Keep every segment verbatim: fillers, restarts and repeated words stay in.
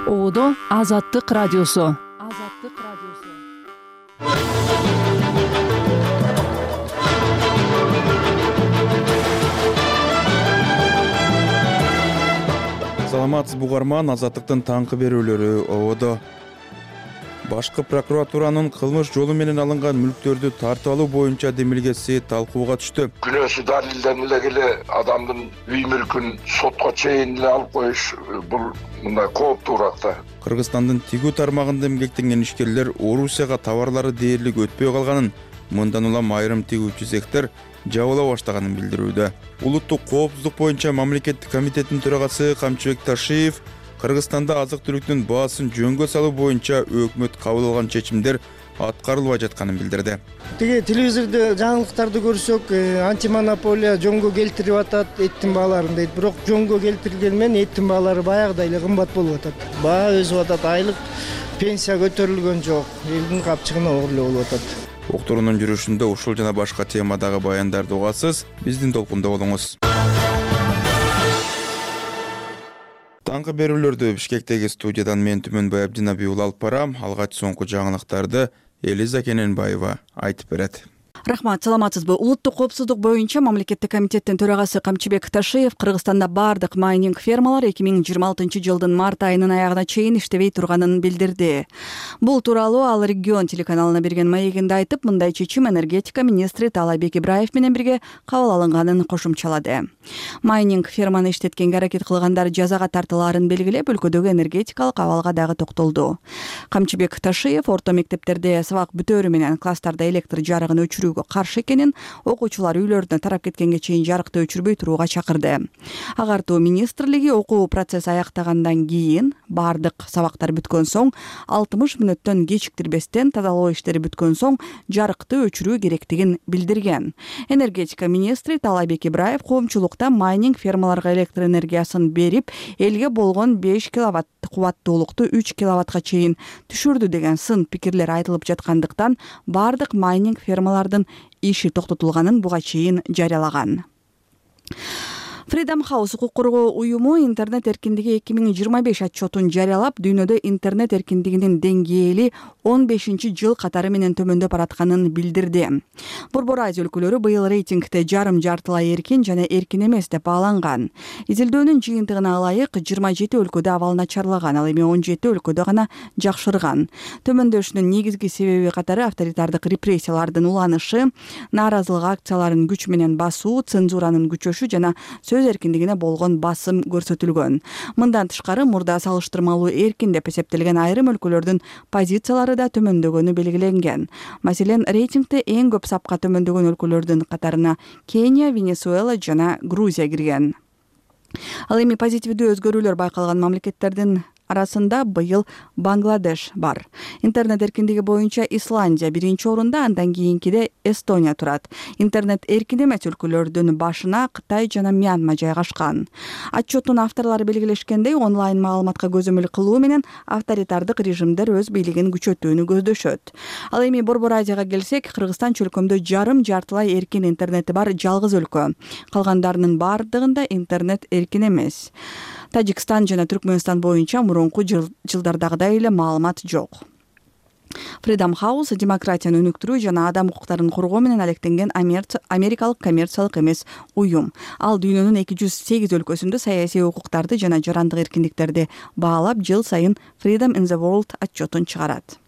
Оодо Азаттык радиосу. Азаттык радиосу. Саламатсызбы угарман, Азаттыктын таңкы берүүлөрү Оодо. Башкы прокуратуранын кылмыш жолу менен алынган мүлктөрдү тартып алуу боюнча демилгеси талкууга түштү. Күнөөсү далилденип эле адамдын үй мүлкүн сотко чейин эле алып коюш бул мындай кооптуу уракта. Кыргызстандын тигүү тармагында эмгектенген ишкерлер Орусияга товарлары дээрлик өтпөй калганын, мындан улам айрым тигүүчү цехтер жабыла баштаганын билдирүүдө. Улуттук коопсуздук боюнча мамлекеттик комитеттин төрагасы Камчыбек Ташиев Кыргызстанда азык-түлүктүн баасын жөнгө салуу боюнча өкмөт кабыл алган чечимдер аткарылбай жатканын билдирди. Тиги телевизордо жаңылыктарды көрсөк, антимонополия жөнгө келтирип атат эттин бааларын дейт. Бирок жөнгө келтирилгени менен эттин баалары баягыдай эле кымбат болуп атат. Баа өсүп атат, айлык пенсия көтөрүлгөн жок. Элдин капчыгына оор эле болуп атат. Уктуруунун жүрүшүндө ушул жана башка темадагы баяндарды угасыз. Биздин толкунда болуңуз. Таңкы берүүлөрдү Бишкектеги студиядан мен Түмөнбай Абдинабий алып барам. Алгач соңку жаңылыктарды Элиза Кененбаева айтып берет. Рахмат, саламатсызбы. Улуттук коопсуздук боюнча мамлекеттик комитеттин төрагасы Камчыбек Ташиев Кыргызстанда бардык майнинг фермалар эки миң жыйырма алтынчы жылдын март айынын аягына чейин иштебей турганын билдирди. Бул тууралуу ал Регион телеканалына берген маегинде айтып, мындай чечим энергетика министри Таалайбек Ибраев менен бирге кабыл алынганын кошумчалады. Майнинг ферманы иштеткенге аракет кылгандар жазага тартылаарын белгилеп, өлкөдөгү энергетикалык абалга дагы токтолду. Камчыбек Ташиев орто мектептерде сабак бүтөөрү менен класстарда электр жарыгын өчүрүүгө каршы экенин, окуучулар үйлөрүнө тарап кеткенге чейин жарыкты өчүрбөй турууга чакырды. Агартуу министрлиги окуу процесси аяктагандан кийин, бардык сабактар бүткөн соң, алтымыш мүнөттөн кечиктирбестен тазалоо иштери бүткөн соң жарыкты өчүрүү керектигин билдирген. Энергетика министри Таалайбек Ибраев коомчулукта майнинг фермаларга электр энергиясын берип, элге болгон беш киловатт кубаттуулукту үч киловаттка чейин түшүрдү деген сын пикирлер айтылып жаткандыктан, бардык майнинг фермалардын иши токтотулганын буга чейин жарыялаган. Freedom House укук коргоо уюму интернет эркиндиги эки миң жыйырма беш отчетун жарыялап, дүйнөдө интернет эркиндигинин деңгээли он бешинчи жыл катары менен төмөндөп баратканын билдирди. Борбор Азия өлкөлөрү быйыл рейтингде жарым жартылай эркин жана эркин эмес деп бааланган. Изилдөөнүн жыйынтыгына ылайык жыйырма жети өлкөдө абал начарлаган, ал эми он жети өлкөдө гана жакшырган. Төмөндөшүнүн негизги себеби катары авторитардык репрессиялардын уланышы, нааразылык акцияларын күч менен басуу, цензуранын күчөшү жана сөз эркиндигине болгон басым көрсөтүлгөн. Мындан тышкары, мурда салыштырмалуу эркин деп эсептелген айрым өлкөлөрдүн позициялары да төмөндөгөнү белгиленген. Маселен, рейтингде эң көп сапка төмөндөгөн өлкөлөрдүн катарына Кения, Венесуэла жана Грузия кирген. Ал эми позитивдүү өзгөрүүлөр байкалган мамлекеттердин арасында быйыл Бангладеш бар. Интернет эркиндиги боюнча Исландия биринчи орунда, андан кийинкиде Эстония турат. Интернет эркин эмес өлкөлөрдүн башына Кытай жана Мьянма жайгашкан. Отчеттун авторлору белгилешкендей, онлайн маалыматка көзөмөл кылуу менен авторитардык режимдер өз бийлигин күчөтүүнү көздөшөт. Ал эми Борбор Азияга келсек, Кыргызстан чөлкөмдө жарым жартылай эркин интернети бар жалгыз өлкө. Калгандарынын бардыгында интернет эркин эмес. Тажикстан жана Түркмөнстан боюнча мурунку жылдардагыдай эле маалымат жок. Freedom House демократияны өнүктүрүү жана адам укуктарын коргоо менен алектенген америкалык коммерциялык эмес уюм. Ал дүйнөнүн эки жүз сегиз өлкөсүндө саясий укуктарды жана жарандык эркиндиктерди баалап, жыл сайын Freedom in the World отчетун чыгарат.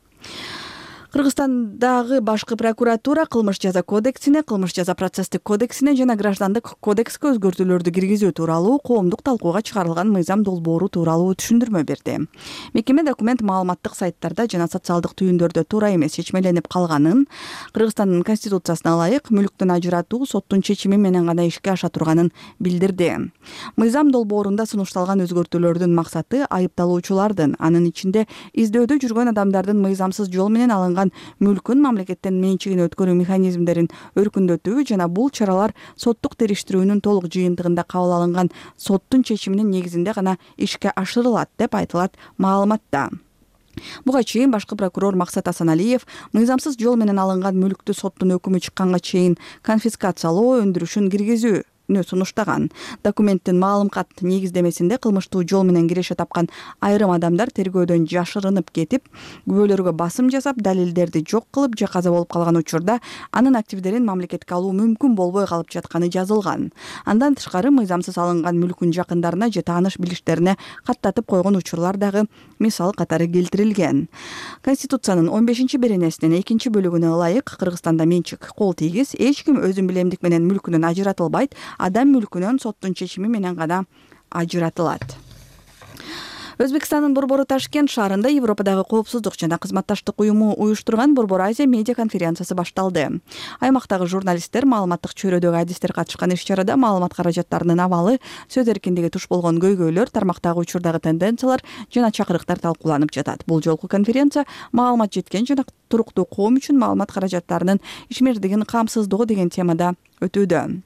Кыргызстандагы башкы прокуратура кылмыш жаза кодексине, кылмыш жаза процесстик кодексине жана граждандык кодекске өзгөртүүлөрдү киргизүү тууралуу коомдук талкууга чыгарылган мыйзам долбоору тууралуу түшүндүрмө берди. Мекеме документ маалыматтык сайттарда жана социалдык түйүндөрдө туура эмес чечмеленип калганын, Кыргызстандын конституциясына ылайык мүлктүн ажыратуу соттун чечими менен гана ишке аша турганын билдирди. Мыйзам долбоорунда сунушталган өзгөртүүлөрдүн максаты айыпталуучулардын, анын ичинде издөөдө жүргөн адамдардын мыйзамсыз жол менен алынган мүлкүн мамлекеттен менчигине өткөрүү механизмдерин өркүндөтүү жана бул чаралар соттук териштирүүнүн толук жыйынтыгында кабыл алынган соттун чечиминин негизинде гана ишке ашырылат деп айтылат маалыматта. Буга чейин башкы прокурор Максат Асаналиев мыйзамсыз жол менен алынган мүлктү соттун өкүмү чыкканга чейин конфискациялоо өндүрүшүн киргизүү сунуштаган. Документтин маалымат негиздемесинде кылмыштуу жол менен киреше тапкан айрым адамдар тергөөдөн жашырынып кетип, күбөлөргө басым жасап, далилдерди жок кылып же каза болуп калган учурда анын активдерин мамлекетке алуу мүмкүн болбой калып жатканы жазылган. Андан тышкары мыйзамсыз алынган мүлкүн жакындарына же тааныш билиштерине каттатып койгон учурлар дагы мисал катары келтирилген. Конституциянын он бешинчи беренесинин экинчи бөлүгүнө ылайык Кыргызстанда менчик кол тийгиз, эч ким өзүн билемдик менен мүлкүнөн ажыратылбайт, адам мүлкүнөн соттун чечими менен гана ажыратылат. Өзбекстандын борбору Ташкент шаарында Европадагы коопсуздук жана кызматташтык уюму уюштурган Борбор Азия медиа конференциясы башталды. Аймактагы журналисттер, маалыматтык чөйрөдөгү адистер катышкан иш-чарада маалымат каражаттарынын абалы, сөз эркиндиги туш болгон көйгөйлөр, тармактагы учурдагы тенденциялар жана чакырыктар талкууланып жатат. Бул жолку конференция маалымат жеткен жана туруктуу коом үчүн маалымат каражаттарынын ишмердигин камсыздоо деген темада өтүүдө.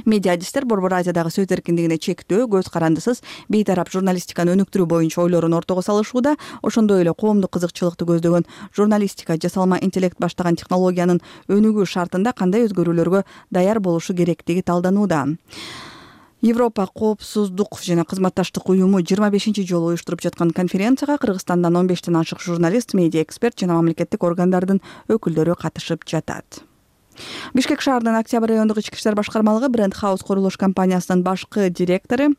Медиа адистер Борбор Азиядагы сөз эркиндигине чектөө, көз карандысыз бейтарап журналистиканы өнүктүрүү боюнча ойлорун ортого салышууда, ошондой эле коомдук кызыкчылыкты көздөгөн журналистика, жасалма интеллект баштаган технологиянын өнүгүү шартында кандай өзгөрүүлөргө даяр болушу керектиги талданууда. Европа коопсуздук жана кызматташтык уюму жыйырма бешинчи жолу уюштуруп жаткан конференцияга Кыргызстандан он бештен ашык журналист, медиа эксперт жана мамлекеттик органдардын өкүлдөрү катышып жатат. Бишкек шаарынын Октябрь райондук ички иштер башкармалыгы Бренд Хаус курулуш компаниясынын башкы директору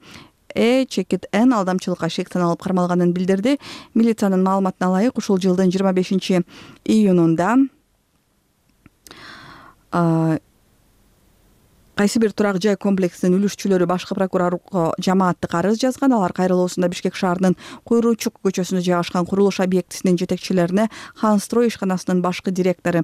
Э Чекит Н алдамчылыкка шектен алып кармалганын билдирди. Милициянын маалыматына ылайык, ушул жылдын жыйырма бешинчи июнунда кайсы бир турак жай комплексинин үлүшчүлөрү башкы прокурорго жамааттык арыз жазган. Алар кайрылуусунда Бишкек шаарынын Куйруучук көчөсүндө жайгашкан курулуш объектисинин жетекчилерине Ханстрой ишканасынын башкы директору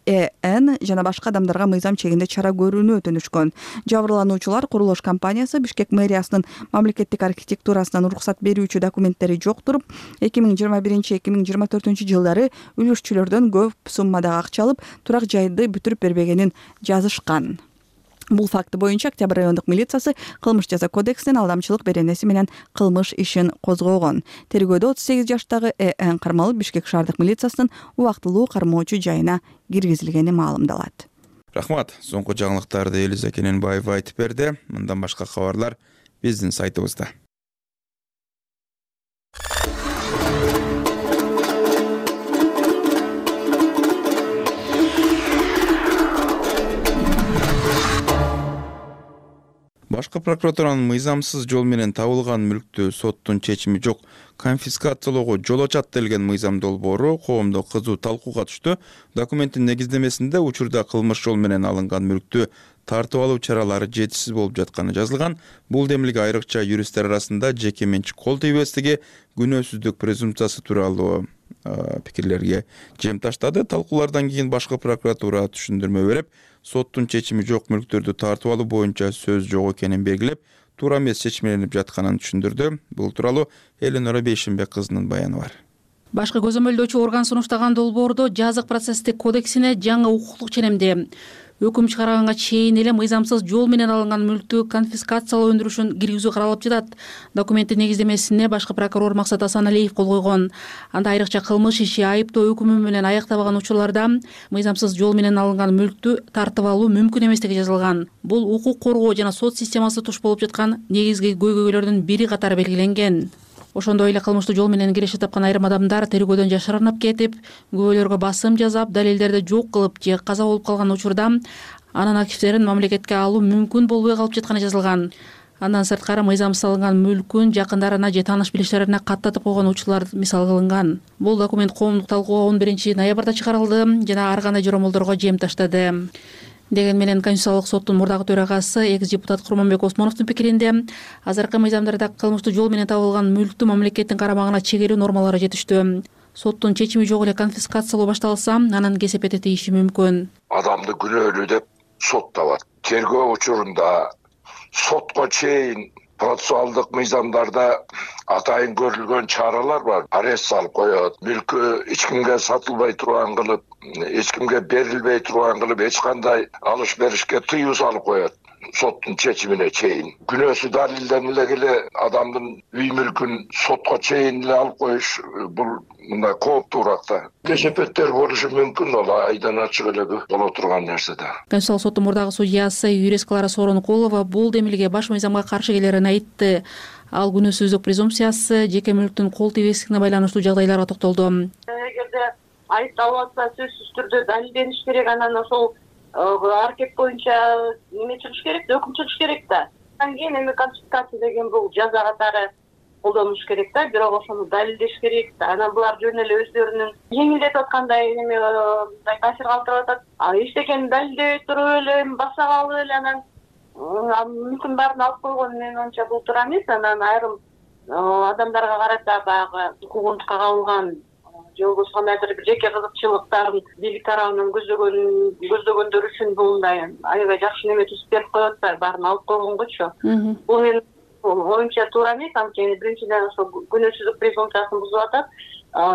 Э Н жана башка адамдарга мыйзам чегинде чара көрүүнү өтүнүшкөн. Жабырлануучулар курулуш компаниясы Бишкек мэриясынын мамлекеттик архитектурасынан уруксат берүүчү документтери жок туруп, эки миң жыйырма биринчи эки миң жыйырма төртүнчү жылдары үлүшчүлөрдөн көп суммадагы акча алып, турак жайды бүтүрүп бербегенин жазышкан. Бул факты боюнча Октябрь райондук милициясы кылмыш жаза кодексинин алдамчылык беренеси менен кылмыш ишин козгогон. Тергөөдө отуз сегиз жаштагы Э Н кармалып Бишкек шаардык милициясынын убактылуу кармоочу жайына киргизилгени маалымдалат. Рахмат. Соңку жаңылыктарды Элиза Кененбаева айтып берди. Мындан башка кабарлар биздин сайтыбызда. Башкы прокуратуранын мыйзамсыз жол менен табылган мүлктү соттун чечими жок конфискациялоого жол ачат делген мыйзам долбоору коомдо кызуу талкууга түштү. Документтин негиздемесинде учурда кылмыш жол менен алынган мүлктү тартып алуу чаралары жетишсиз болуп жатканы жазылган. Бул демилге айрыкча юристтер арасында жеке менчик кол тийбестиги, күнөөсүздүк презумпциясы тууралуу пикирлерге жем таштады. Талкуулардан кийин башкы прокуратура түшүндүрмө берип, соттун чечими жок мүлктөрдү тартып алуу боюнча сөз жок экенин белгилеп, туура эмес чечмеленип жатканын түшүндүрдү. Бул тууралуу Эленора Бейшенбек кызынын баяны бар. Башкы көзөмөлдөөчү орган сунуштаган долбоордо жазык процесстик кодексине жаңы укуктук ченемде өкүм чыгарганга чейин эле мыйзамсыз жол менен алынган мүлктү конфискациялоо өндүрүшүн киргизүү каралып жатат. Документтин негиздемесине башкы прокурор Максат Асаналиев кол койгон. Анда айрыкча кылмыш иши айыптоо өкүмү менен аяктабаган учурларда мыйзамсыз жол менен алынган мүлктү тартып алуу мүмкүн эместиги жазылган. Бул укук коргоо жана сот системасы туш болуп жаткан негизги көйгөйлөрдүн бири катары белгиленген. Ошондой эле кылмыштуу жол менен киреше тапкан айрым адамдар тергөөдөн жашырынып кетип, күбөлөргө басым жасап, далилдерди жок кылып же каза болуп калган учурда анын активдерин мамлекетке алуу мүмкүн болбой калып жатканы жазылган. Андан сырткары мыйзамсыз алынган мүлкүн жакындарына же тааныш билиштерине каттатып койгон учурлар мисал кылынган. Бул документ коомдук талкууга он биринчи ноябрда чыгарылды жана ар кандай жоромолдорго жем таштады. Деген менен Конституциялык соттун мурдагы төрагасы экс депутат Курманбек Осмоновдун пикиринде азыркы мыйзамдарда кылмыштуу жол менен табылган мүлктү мамлекеттин карамагына чегерүү нормалары жетиштүү. Соттун чечими жок эле конфискациялоо башталса, анын кесепети тийиши мүмкүн. Адамды күнөөлүү деп сотталат. Тергөө учурунда сотко чейин процессуалдык мыйзамдарда атайын көрүлгөн чаралар бар. Арест салып коет, мүлкү эч кимге сатылбай турган кылып, эч кимге берилбей турган кылып, эч кандай алыш беришке тыюу салып коет. соттун чечимине чейин күнөөсү далилдениля келе адамдын үй мүлкүн сотко чейин эле алып коюш бул мындай кооптуураак да. Кесепеттер болушу мүмкүн, ал айдан ачык эле боло турган нерсе да. Конституциялык соттун мурдагы судьясы юрист Клара Сооронкулова бул демилге баш мыйзамга каршы келерин айтты. Ал күнөөсүздүк презумпциясы жеке мүлктүн кол тийбестигине байланыштуу жагдайларга токтолду. Эгерде айыпталып атса сөзсүз түрдө далилдениш керек, анан ошол аракет боюнча неме чыгыш керек да, өкүм чыгыш керек да. Андан кийин эми конфискация деген бул жаза катары колдонуш керек да, бирок ошону далилдеш керек да. Анан булар жөн эле өздөрүнүн жеңилдетип аткандай неме мындай таасир калтырып атат. А эчтекени далилдебей туруп эле баса калып эле анан мүмкүн баарын алып койгон, мен онча бул туура эмес. Анан айрым адамдарга карата баягы укугунтукка кабылган же болбосо кандайдыр бир жеке кызыкчылыктарын бийлик тарабынан көздөгөн көздөгөндөр үчүн бул мындай аябай жакшы неме түзүп берип коюп атпайбы, баарын алып койгонгочу. Бул мен оюмча туура эмес, анткени биринчиден ошо күнөөсүздүк презумпциясын бузуп атат.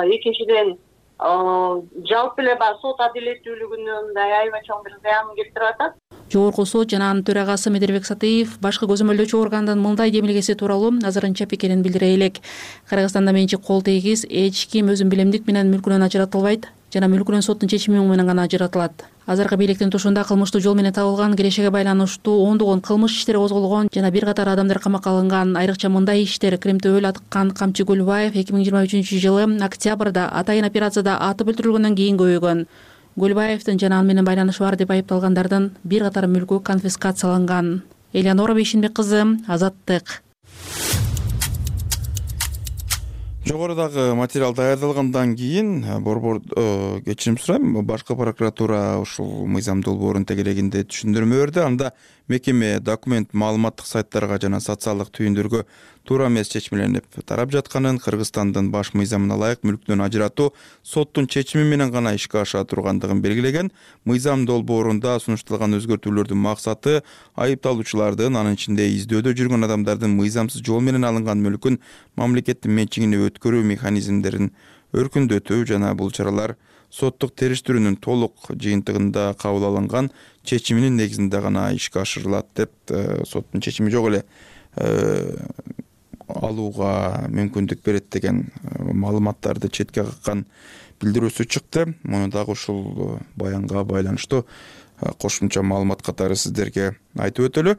Экинчиден жалпы эле баягы сот адилеттүүлүгүнө мындай аябай чоң бир зыянын келтирип атат. Жогорку сот жана анын төрагасы Медербек Сатыев башкы көзөмөлдөөчү органдын мындай демилгеси тууралуу азырынча пикирин билдире элек. Кыргызстанда менчик кол тийгиз эч ким өзүн билемдик менен мүлкүнөн ажыратылбайт жана мүлкүнөн соттун чечими менен гана ажыратылат. Азыркы бийликтин тушунда кылмыштуу жол менен табылган кирешеге байланыштуу ондогон кылмыш иштери козголгон жана бир катар адамдар камакка алынган. Айрыкча мындай иштер: Кремтөбөл аткан камчы Гөлбаев эки миң жыйырма үчүнчү жылы октябрда атайын операцияда атып өлтүрүлгөндөн кийин көбөйгөн. Гөлбаевдин жана аны менен байланышы бар деп айыпталгандардын бир катар мүлкү конфискацияланган. Элеонора Бейшенбек кызы, Азаттык. Жогорудагы материал даярдалгандан кийин борбор кечирим сурайм, башкы прокуратура ушул мыйзам долбоорун тегерегинде түшүндүрмө берди. Анда мекеме документ маалыматтык сайттарга жана социалдык түйүндөргө туура эмес чечмеленип тарап жатканын, Кыргызстандын баш мыйзамына ылайык мүлктөн ажыратуу соттун чечими менен гана ишке аша тургандыгын белгилеген. Мыйзам долбоорунда сунушталган өзгөртүүлөрдүн максаты айыпталуучулардын, анын ичинде издөөдө жүргөн адамдардын мыйзамсыз жол менен алынган мүлкүн мамлекеттин менчигине өткөрүү механизмдерин өркүндөтүү жана бул чаралар соттук териштирүүнүн толук жыйынтыгында кабыл алынган чечиминин негизинде гана ишке ашырылат деп соттун чечими жок эле алууга мүмкүндүк берет деген маалыматтарды четке каккан билдирүүсү чыкты. Муну дагы ушул баянга байланыштуу кошумча маалымат катары сиздерге айтып өтөлү.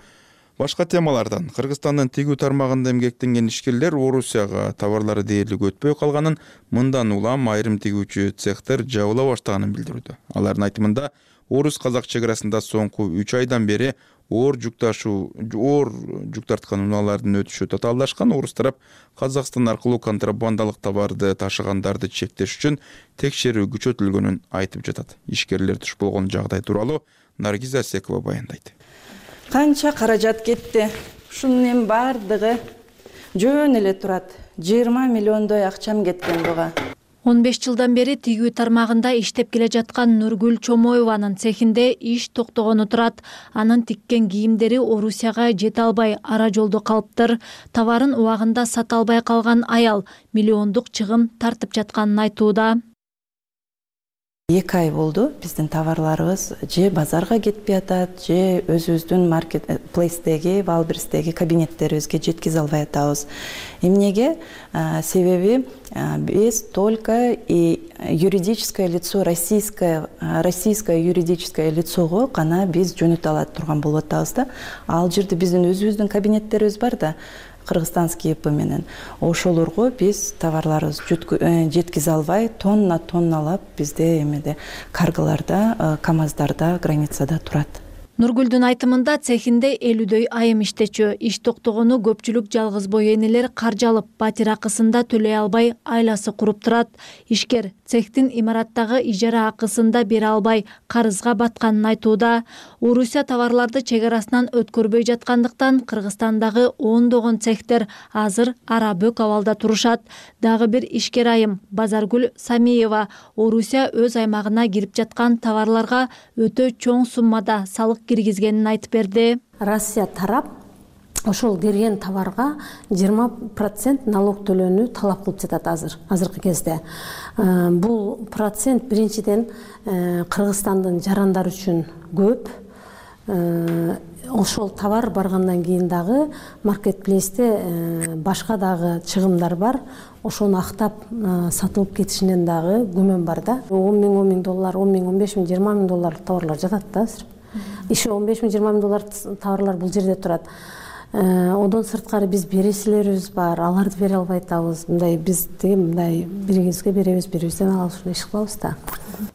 Башка темалардан: Кыргызстандын тигүү тармагында эмгектенген ишкерлер Орусияга товарлары дээрлик өтпөй калганын, мындан улам айрым тигүүчү цехтер жабыла баштаганын билдирүүдө. Алардын айтымында, орус-казак чек арасында соңку үч айдан бери оор жүк ташуу, оор жүк тарткан унаалардын өтүшү татаалдашкан. Орус тарап Казакстан аркылуу контрабандалык товарды ташыгандарды чектеш үчүн текшерүү күчөтүлгөнүн айтып жатат. Ишкерлер туш болгон жагдай тууралуу Наргиза Асекова баяндайт. Канча каражат кетти. Ушунун эми бардыгы жөн эле турат. жыйырма миллиондой акчам кеткен буга. он беш жылдан бери тигүү тармагында иштеп келе жаткан Нургүл Чомоеванын цехинде иш токтогону турат. Анын тиккен кийимдери Орусияга жете албай ара жолдо калыптыр. Товарын убагында сата албай калган аял миллиондук чыгым тартып жатканын айтууда. эки ай болду биздин товарларыбыз же базарга кетпей атат, же өзүбүздүн маркет плейстеги, Валберстеги кабинеттерибизге жеткизе албай атабыз. Эмнеге? Себеби биз только и юридическое лицо, российское российское юридическое лицого гана биз жөнөтө ала турган болуп атабыз да. Ал жерде биздин өзүбүздүн кабинеттерибиз бар да. Кыргызстанский ИП менен ошолорго биз товарларыбызды жеткизе албай, тонна тонналап бизде эмеде карголарда, КамАЗдарда, границада турат. Нургүлдүн айтымында цехинде элүүдөй айым иштечү. Иш токтогону көпчүлүк жалгыз бой энелер каржы алып, батир акысында төлөй албай айласы куруп турат. Ишкер цехтин имараттагы ижара акысында бере албай карызга батканын айтууда. Орусия товарларды чек арасынан өткөрбөй жаткандыктан Кыргызстандагы ондогон цехтер азыр ара бөк абалда турушат. Дагы бир ишкер айым Базаргүл Самиева Орусия өз аймагына кирип жаткан товарларга өтө чоң суммада салык киргизгенин айтып берди. Россия тарап ошол кирген товарга жыйырма процент налог төлөөнү талап кылып жатат азыр, азыркы кезде. Бул процент биринчиден Кыргызстандын жарандары үчүн көп. ошол товар баргандан кийин дагы маркетплейсте башка дагы чыгымдар бар. Ошону актап сатылып кетишинен дагы күмөн бар да. он миң он миң доллар, он миң он беш миң жыйырма миң долларлык товарлар жатат да азыр. Иши он беш миң жыйырма миң доллар товарлар бул жерде турат. Одон сырткары биз бересилерибиз бар, аларды бере албай атабыз. Мындай биз деги мындай бирибизге беребиз, бирибизден алабыз, ушундай иш кылабыз да.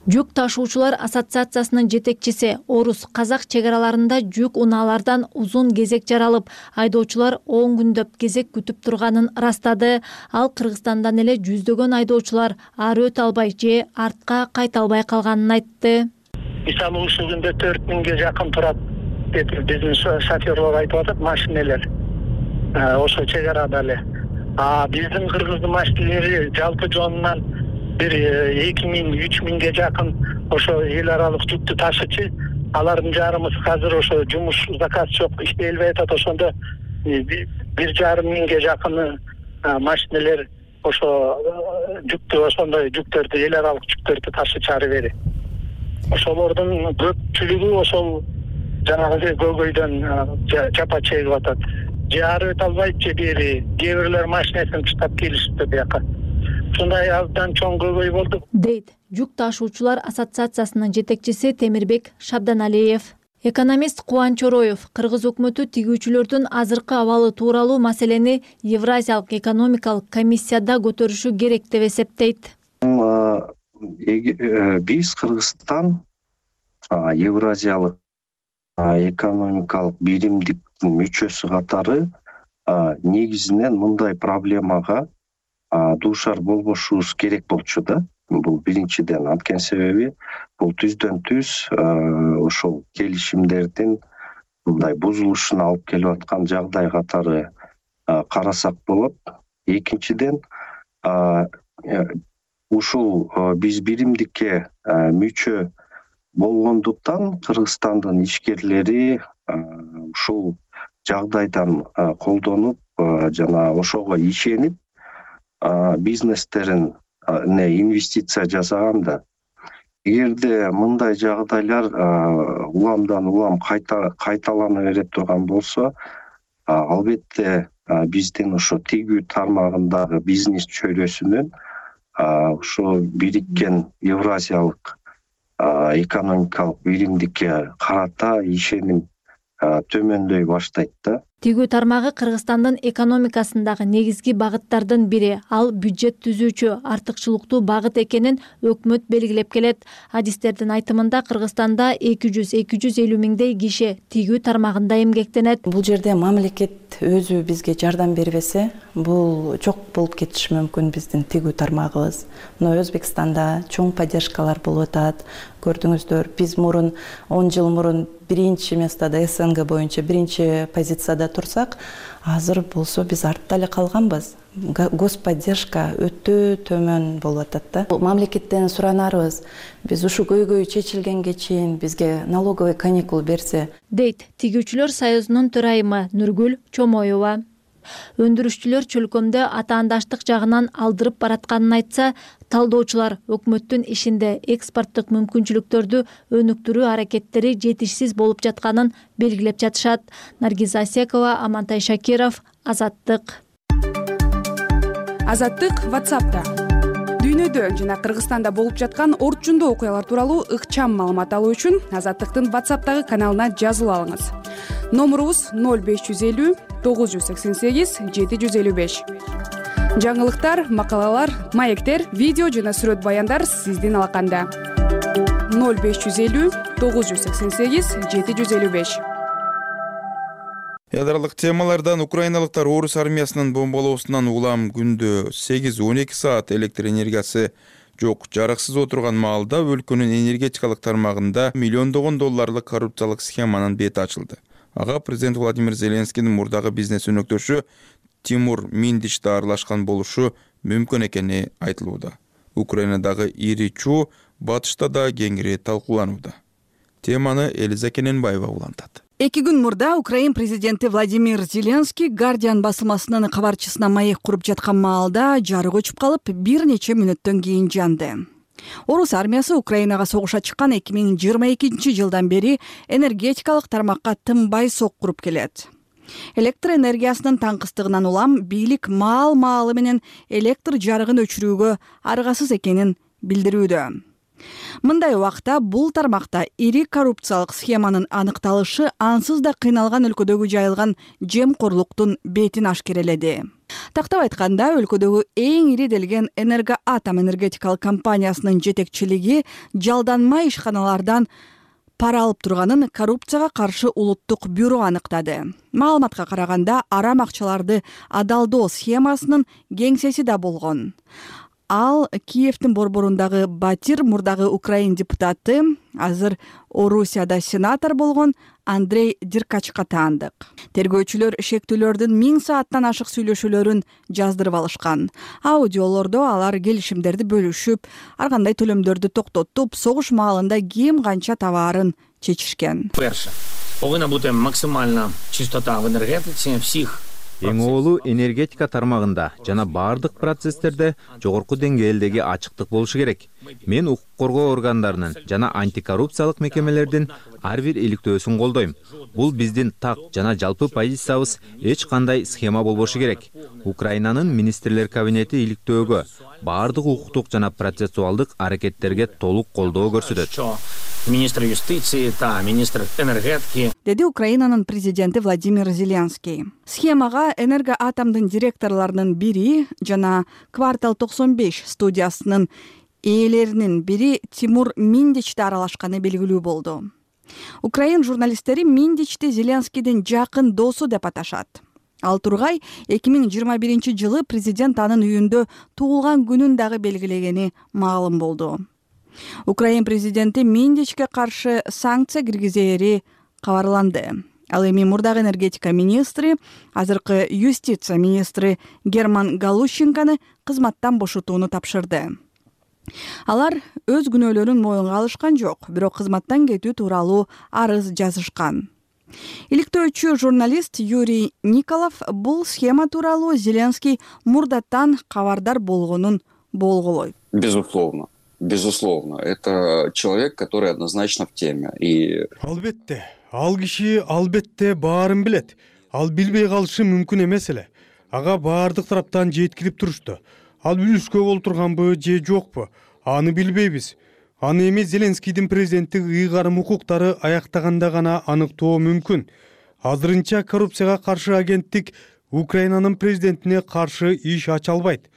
Жүк ташуучулар ассоциациясынын жетекчиси Орус казак чек араларында жүк унаалардан узун кезек жаралып, айдоочулар он күндөп кезек күтүп турганын ырастады. Ал Кыргызстандан эле жүздөгөн айдоочулар ары өтө албай же артка кайта албай калганын айтты. Мисалы ушул күндө төрт миңге жакын турат деп биздин шоферлор айтып атат, машинелер. Ошо чек арада эле. А биздин кыргыздын машинелери жалпы жонунан бир эки миң үч миңге жакын ошо эл аралык жүктү ташычы. Алардын жарымы азыр ошо жумуш заказ жок, иштей албай атат. Ошондо бир жарым миңге жакын машинелер ошо жүктү, ошондой жүктөрдү, эл аралык жүктөрдү ташычы ары бери. Ошолордун көпчүлүгү ошол жанагы көйгөйдөн жапа чегип атат. Же ары өтө албайт, же бери кээ бирлер машинесин таштап келишти бияка. Ушундай абдан чоң көйгөй болду, дейт жүк ташуучулар ассоциациясынын жетекчиси Темирбек Шабданалиев. Экономист Кубанч Ороев кыргыз өкмөтү тигүүчүлөрдүн азыркы абалы тууралуу маселени Евразиялык экономикалык комиссияда көтөрүшү керек деп эсептейт. Биз Кыргызстан Евразиялык экономикалык биримдиктин мүчөсү катары негизинен мындай проблемага дуушар болбошубуз керек болчу да. Бул биринчиден, анткени себеби бул түздөн түз ошол келишимдердин мындай бузулушуна алып келип аткан жагдай катары карасак болот. Экинчиден, ушул биз биримдикке мүчө болгондуктан Кыргызстандын ишкерлери ушул жагдайдан колдонуп жана ошого ишенип бизнестерин не инвестиция жасаганда, эгерде мындай жагдайлар уламдан улам кайталана бере турган болсо, албетте биздин ошо тигүү тармагындагы бизнес чөйрөсүнүн ошо бириккен Евразиялык экономикалык биримдикке карата ишеним төмөндөй баштайт да. Тигүү тармагы Кыргызстандын экономикасындагы негизги багыттардын бири. Ал бюджет түзүүчү артыкчылыктуу багыт экенин өкмөт белгилеп келет. Адистердин айтымында Кыргызстанда эки жүз эки жүз элүү миңдей киши тигүү тармагында эмгектенет. Бул жерде мамлекет өзү бизге жардам бербесе, бул жок болуп кетиши мүмкүн биздин тигүү тармагыбыз. Мына Өзбекстанда чоң поддержкалар болуп атат. Көрдүңүздөр, биз мурун он жыл мурун биринчи местада СНГ боюнча биринчи позицияда турсак, азыр болсо биз артта эле калганбыз. Господдержка өтө төмөн болуп атат да. Мамлекеттен суранарыбыз, биз ушу көйгөй чечилгенге чейин бизге налоговый каникул берсе, дейт тигүүчүлөр союзунун төрайымы Нургүл Чомоева. Өндүрүшчүлөр чөлкөмдө атаандаштык жагынан алдырып баратканын айтса, талдоочулар өкмөттүн ишинде экспорттук мүмкүнчүлүктөрдү өнүктүрүү аракеттери жетишсиз болуп жатканын белгилеп жатышат. Наргиз Асекова, Амантай Шакиров, Азаттык. Азаттык WhatsApp'та. Дүйнөдө жана Кыргызстанда болуп жаткан орчундуу окуялар тууралуу ыкчам маалымат алуу үчүн Азаттыктын WhatsApp'тагы каналына жазылып алыңыз. Номурубуз ноль беш жүз элүү тогуз жүз сексен сегиз жети жүз элүү беш. Жаңылыктар, макалалар, маектер, видео жана сүрөт баяндар сиздин алаканда. ноль беш жүз элүү тогуз жүз сексен сегиз жети жүз элүү беш. Ядролук темалардан украиналыктар Орус армиясынын бомбалоосунан улам күндө сегиз он эки саат электр энергиясы жок жарыксыз отурган маалда өлкөнүн энергетикалык тармагында миллиондогон долларлык коррупциялык схеманын бети ачылды. Ага президент Владимир Зеленскийдин мурдагы бизнес өнөктөшү Тимур Миндич да аралашкан болушу мүмкүн экени айтылууда. Украинадагы ири чуу батышта да кеңири талкууланууда. Теманы Элиза Кененбаева улантат. Эки күн мурда Украин президенти Владимир Зеленский Guardian басылмасынын кабарчысына маек куруп жаткан маалда жарык өчүп калып, бир нече мүнөттөн кийин жанды. Орус армиясы Украинага согушка чыккан эки миң жыйырма экинчи жылдан бери энергетикалык тармакка тынбай сок куруп келет. Электр энергиясынын таңкыстыгынан улам бийлик маал-маалы менен электр жарыгын өчүрүүгө аргасыз экенин билдирүүдө. Мындай убакта бул тармакта ири коррупциялык схеманын аныкталышы ансыз да кыйналган өлкөдөгү жайылган жемкорлуктун бетин ашкереледи. Тактап айтканда, өлкөдөгү эң ири делген Энергоатом энергетикалык компаниясынын жетекчилиги жалданма ишканалардан пара алып турганын коррупцияга каршы улуттук бюро аныктады. Маалыматка караганда, арам акчаларды адалдоо схемасынын кеңсеси да болгон. Ал Киевдин борборундагы Батир, мурдагы Украин депутаты, азыр Орусияда сенатор болгон Андрей Деркачка таандык. Тергөөчүлөр шектүүлөрдүн миң сааттан ашык сүйлөшүүлөрүн жаздырып алышкан. Аудиолордо алар келишимдерди бөлүшүп, ар кандай төлөмдөрдү токтотуп, согуш маалында ким канча табаарын чечишкен. Перше, повинна бути максимальна чистота в энергетике всех. Эң оолу энергетика тармагында жана бардык процесстерде жогорку деңгээлдеги ачыктык болушу керек. Мен укук коргоо органдарынын жана антикоррупциялык мекемелердин ар бир иликтөөсүн колдойм. Бул биздин так жана жалпы позициябыз, эч кандай схема болбошу керек. Украинанын министрлер кабинети иликтөөгө, бардык укуктук жана процессуалдык аракеттерге толук колдоо көрсөтөт. Министр юстиции, та министр энергетики, деди Украинанын президенти Владимир Зеленский. Схемага Энергоатомдун директорлорунун бири жана Квартал токсон беш студиясынын ээлеринин бири Тимур Миндичти аралашканы белгилүү болду. Украин журналисттери Миндичти Зеленскийдин жакын досу деп аташат. Ал тургай эки миң жыйырма биринчи жылы президент анын үйүндө туулган күнүн дагы белгилегени маалым болду. Украин президенти Миндичке каршы санкция киргизери кабарланды. Ал эми мурдагы энергетика министри, азыркы юстиция министри Герман Галущенканы кызматтан бошотууну тапшырды. Алар өз күнөөлөрүн моюнга алышкан жок, бирок кызматтан кетүү тууралуу арыз жазышкан. Иликтөөчү журналист Юрий Николов бул схема тууралуу Зеленский мурдаттан кабардар болгонун болголойт. Безусловно. Безусловно, это человек, который однозначно в теме. И албетте, ал киши албетте баарын билет. Ал билбей калышы мүмкүн эмес эле. Ага баардык тараптан жеткирип турушту. Ал билүүскө боло турганбы же жокпу? Аны билбейбиз. Аны эми Зеленскийдин президенттик ыйгарым укуктары аяктаганда гана аныктоо мүмкүн. Азырынча коррупцияга каршы агенттик Украинанын президентине каршы иш ача албайт.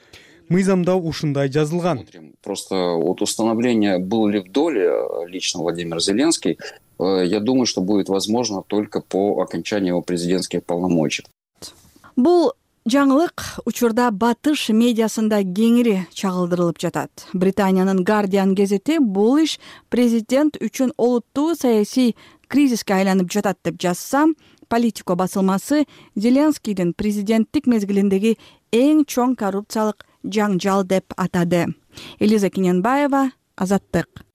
Мыйзамда ушундай жазылган. Просто от установления, был ли в доле лично Владимир Зеленский, я думаю, что будет возможно только по окончании его президентских полномочий. Бул жаңылык учурда батыш медиасында кеңири чагылдырылып жатат. Британиянын Guardian газети бул иш президент үчүн олуттуу саясий кризиске айланып жатат деп жазса, Политико басылмасы Зеленскийдин президенттик мезгилиндеги эң чоң коррупциялык жаңжал деп атады. Элиза Киненбаева, Азаттык.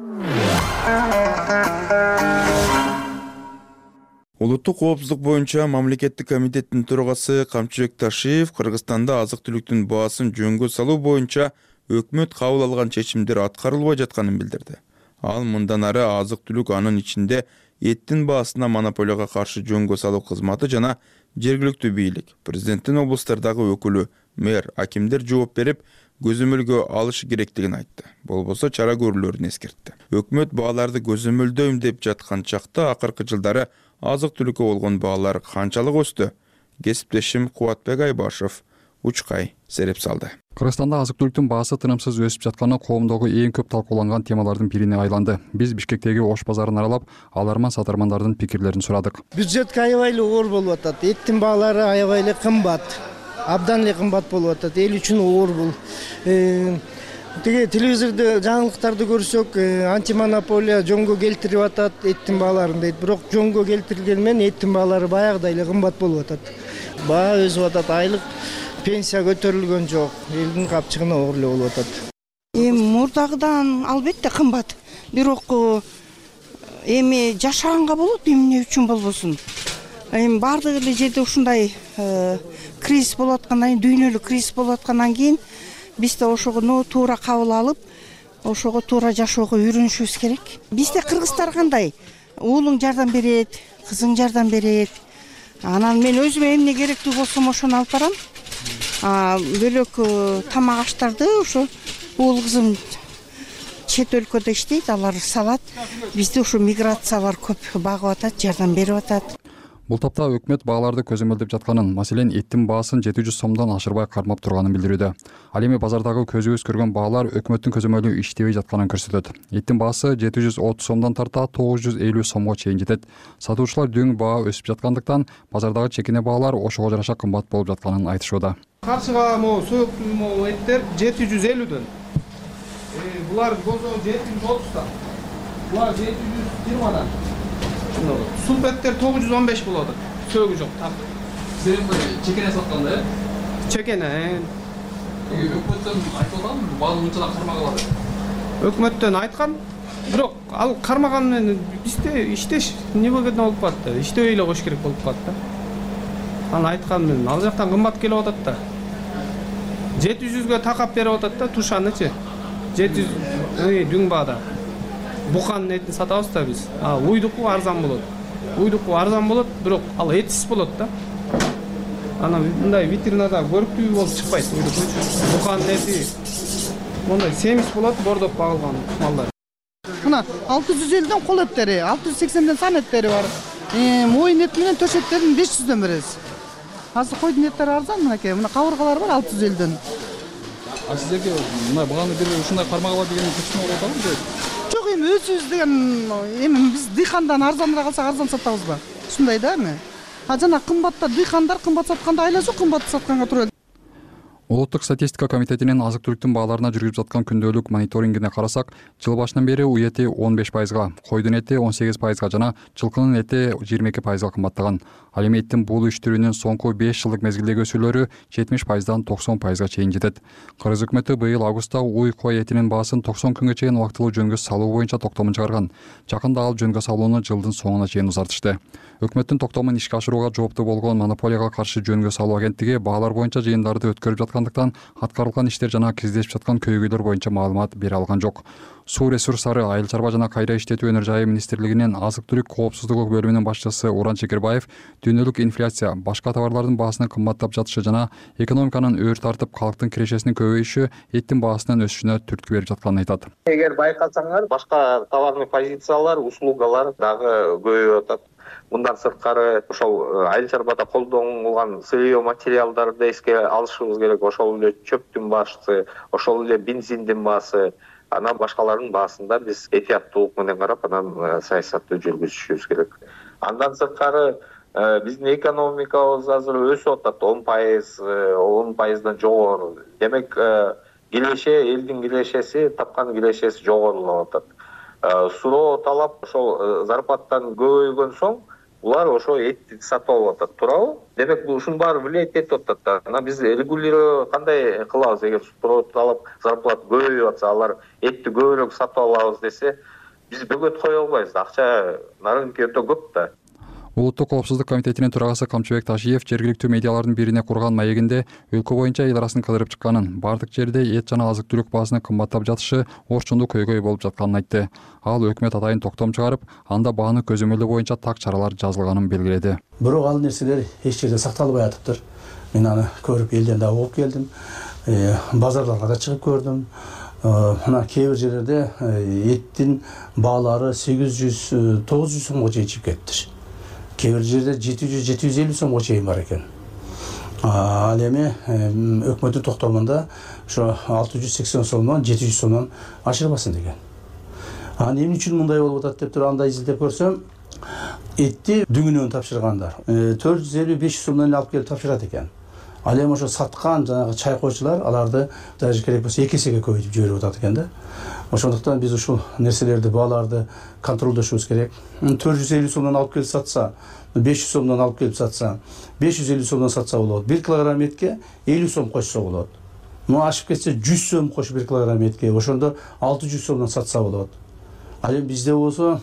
Улуттук коопсуздук боюнча мамлекеттик комитеттин төрагасы Камчыбек Ташиев Кыргызстанда азык-түлүктүн баасын жөнгө салуу боюнча өкмөт кабыл алган чечимдер аткарылбай жатканын билдирди. Ал мындан ары азык-түлүк, анын ичинде эттин баасына монополияга каршы жөнгө салуу кызматы жана жергиликтүү бийлик, президенттин облустардагы өкүлү, мэр, акимдер жооп берип, көзөмөлгө алышы керектигин айтты. Болбосо чара көрүлөрүн эскертти. Өкмөт бааларды көзөмөлдөйм деп жаткан чакта акыркы жылдары азык-түлүккө болгон баалар канчалык өстү? Кесиптешим Кубатбек Айбашев Учкай сереп салды. Кыргызстанда азык-түлүктүн баасы тынымсыз өсүп жатканы коомдогу эң көп талкууланган темалардын бирине айланды. Биз Бишкектеги Ош базарын аралап, аларман-сатармандардын пикирлерин сурадык. Бюджетке аябай эле оор болуп атат. Эттин баалары аябай эле кымбат. Абдан эле кымбат болуп атат. Эл үчүн оор бул. Теге телевизордо жаңылыктарды көрсөк, антимонополия жөнгө келтирип атат эттин бааларын дейт. Бирок жөнгө келтирилгени менен эттин баалары баягыдай эле кымбат болуп атат. Баа өсүп атат, айлык пенсия көтөрүлгөн жок. Элдин капчыгына оор эле болуп атат. Эми мурдагыдан албетте кымбат. Бирок эми жашаганга болот, эмне үчүн болбосун. Эми бардык эле жерде ушундай кризис болуп аткандан кийин, дүйнөлүк кризис болуп аткандан кийин биз да ошону туура кабыл алып, ошого туура жашоого үйрөнүшүбүз керек. Бизде кыргыздар кандай? Уулуң жардам берет, кызың жардам берет. Анан мен өзүмө эмне керектүү болсом ошону алып барам. Бөлөк тамак аштарды ошо уул кызым чет өлкөдө иштейт, алар салат. Бизде ошо миграциялар көп багып атат, жардам берип атат. Бул тапта өкмөт бааларды көзөмөлдөп жатканын, маселен эттин баасын жети жүз сомдон ашырбай кармап турганын билдирүүдө. Ал эми базардагы көзүбүз көргөн баалар өкмөттүн көзөмөлү иштебей жатканын көрсөтөт. Эттин баасы жети жүз отуз сомдон тарта тогуз жүз элүү сомго чейин жетет. Сатуучулар дөң баа өсүп жаткандыктан базардагы чекине баалар ошого жараша кымбат болуп жатканын айтышууда. Каршыга могу суюк могу эттер жети жүз элүүдөн. Булар бозо жети жүз отуздан. Булар жети жүз жыйырмадан. Суп эттер тогуз жүз он беш болот. Сөөгү жок. Сен чекене сатканда, э? Чекене. Өкмөттөн айтылган, баалы мынча кармак алат. Өкмөттөн айткан, бирок ал кармаган менен бизде иштеш невыгодно болуп калат да. Иштебей эле коюш керек болуп калат да. Аны айткан менен ал жактан кымбат келип атат да. жети жүзгө такап берип атат да тушанычы. жети жүз дүң баада. Буканын этин сатабыз да биз. А уйдуку арзан болот. Уйдуку арзан болот, бирок ал этсиз болот да. Анан мындай витринада көрүктүү болуп чыкпайт уйдуку. Буканын эти мондай семиз болот, бордоп багылган малдар. Мына алты жүз элүүдөн кол эттери, алты жүз сексенден сан эттери бар. Моюн эти менен төш эттерин беш жүздөн беребиз. Азыр койдун эттери арзан мынакей. Мына кабыргалар бар алты жүз элүүдөн. А сиздерге мына баганы бир ушундай кармак алат деген көчмө болуп атабы? Жок, эми өзүбүз деген эми биз дыйкандан арзаныраак алсак арзан сатабызбы? Ушундай да эми. А жана кымбатта дыйкандар кымбат сатканда айла жок, кымбат сатканга туура. Улуттук статистика комитетинин азык-түлүктүн бааларына жүргүзүп жаткан күндөлүк мониторингине карасак, жыл башынан бери уй эти он беш пайызга, койдун эти он сегиз пайызга жана жылкынын эти жыйырма эки пайызга кымбаттаган. Ал эми эттин бул үч түрүнүн соңку беш жылдык мезгилдеги өсүүлөрү жетимиш пайыздан токсон пайызга чейин жетет. Кыргыз өкмөтү быйыл августта уй кой этинин баасын токсон күнгө чейин убактылуу жөнгө салуу боюнча токтомун чыгарган. Жакында ал жөнгө салууну жылдын соңуна чейин узартышты. Өкмөттүн токтомун ишке ашырууга жооптуу болгон монополияга каршы жөнгө салуу агенттиги баалар боюнча жыйындарды өткөрүп жаткандыктан аткарылган иштер жана кездешип жаткан көйгөйлөр боюнча маалымат бере алган жок. Суу ресурстары, айыл чарба жана кайра иштетүү өнөр жайы министрлигинин азык-түлүк коопсуздугу бөлүмүнүн башчысы Уран Чекербаев дүйнөлүк инфляция, башка товарлардын баасынын кымбаттап жатышы жана экономиканын өөр тартып калктын кирешесинин көбөйүшү эттин баасынын өсүшүнө түрткү берип жатканын айтат. Эгер байкасаңар, башка товарный позициялар, услугалар дагы көбөйүп атат. Мындан сырткары ошол айыл чарбада колдонулган сырье материалдарды эске алышыбыз керек. Ошол эле чөптүн баасы, ошол эле бензиндин баасы, анан башкалардын баасында биз этияттуулук менен карап, анан саясатты жүргүзүшүбүз керек. Андан сырткары биздин экономикабыз азыр өсүп атат, он пайыз, он пайыздан жогору. Демек, киреше, элдин кирешеси, тапкан кирешеси жогорулап атат. Суроо талап ошол зарплаттан көбөйгөн соң булар ошо этти сатып алып атат, туурабы? Демек, бул ушунун баары влиять этип атат да. Анан биз регулировать кандай кылабыз? Эгер суроо талап зарплата көбөйүп атса, алар этти көбүрөөк сатып алабыз десе, биз бөгөт кое албайбыз. Акча на рынке өтө көп да. Улуттук коопсуздук комитетинин төрагасы Камчыбек Ташиев жергиликтүү медиалардын бирине курган маегинде өлкө боюнча эл арасын кыдырып чыкканын, бардык жерде эт жана азык-түлүк баасынын кымбаттап жатышы орчундуу көйгөй болуп жатканын айтты. Ал өкмөт атайын токтом чыгарып, анда бааны көзөмөлдөө боюнча так чаралар жазылганын белгиледи. Бирок ал нерселер эч жерде сакталбай атыптыр. Мен аны көрүп элден да угуп келдим. Базарларга да чыгып көрдүм. Мына кээ бир жерлерде эттин баалары сегиз жүз тогуз жүз сомго чейин чыгып кетти. Кээ бир жерде жети жүз жети жүз элүү сомго чейин бар экен. Ал эми өкмөттүн токтомунда ошо алты жүз сексен сомдон жети жүз сомдон ашырбасын деген. Анан эмне үчүн мындай болуп атат деп туруп андай изилдеп көрсөм, этти дүңүнөн тапшыргандар төрт жүз элүү беш жүз сомдон эле алып келип тапшырат экен. Ал эми ошо саткан жанагы чайкоочулар аларды даже керек болсо эки эсеге көбөйтүп жиберип атат экен да. Ошондуктан биз ушул нерселерди, бааларды контролдошубуз керек. төрт жүз элүү сомдон алып келип сатса, беш жүз сомдон алып келип сатса, беш жүз элүү сомдон сатса болот. бир килограмм этке элүү сом кошсо болот. Муну ашып кетсе жүз сом кош бир килограмм этке. Ошондо алты жүз сомдон сатса болот. Ал эми бизде болсо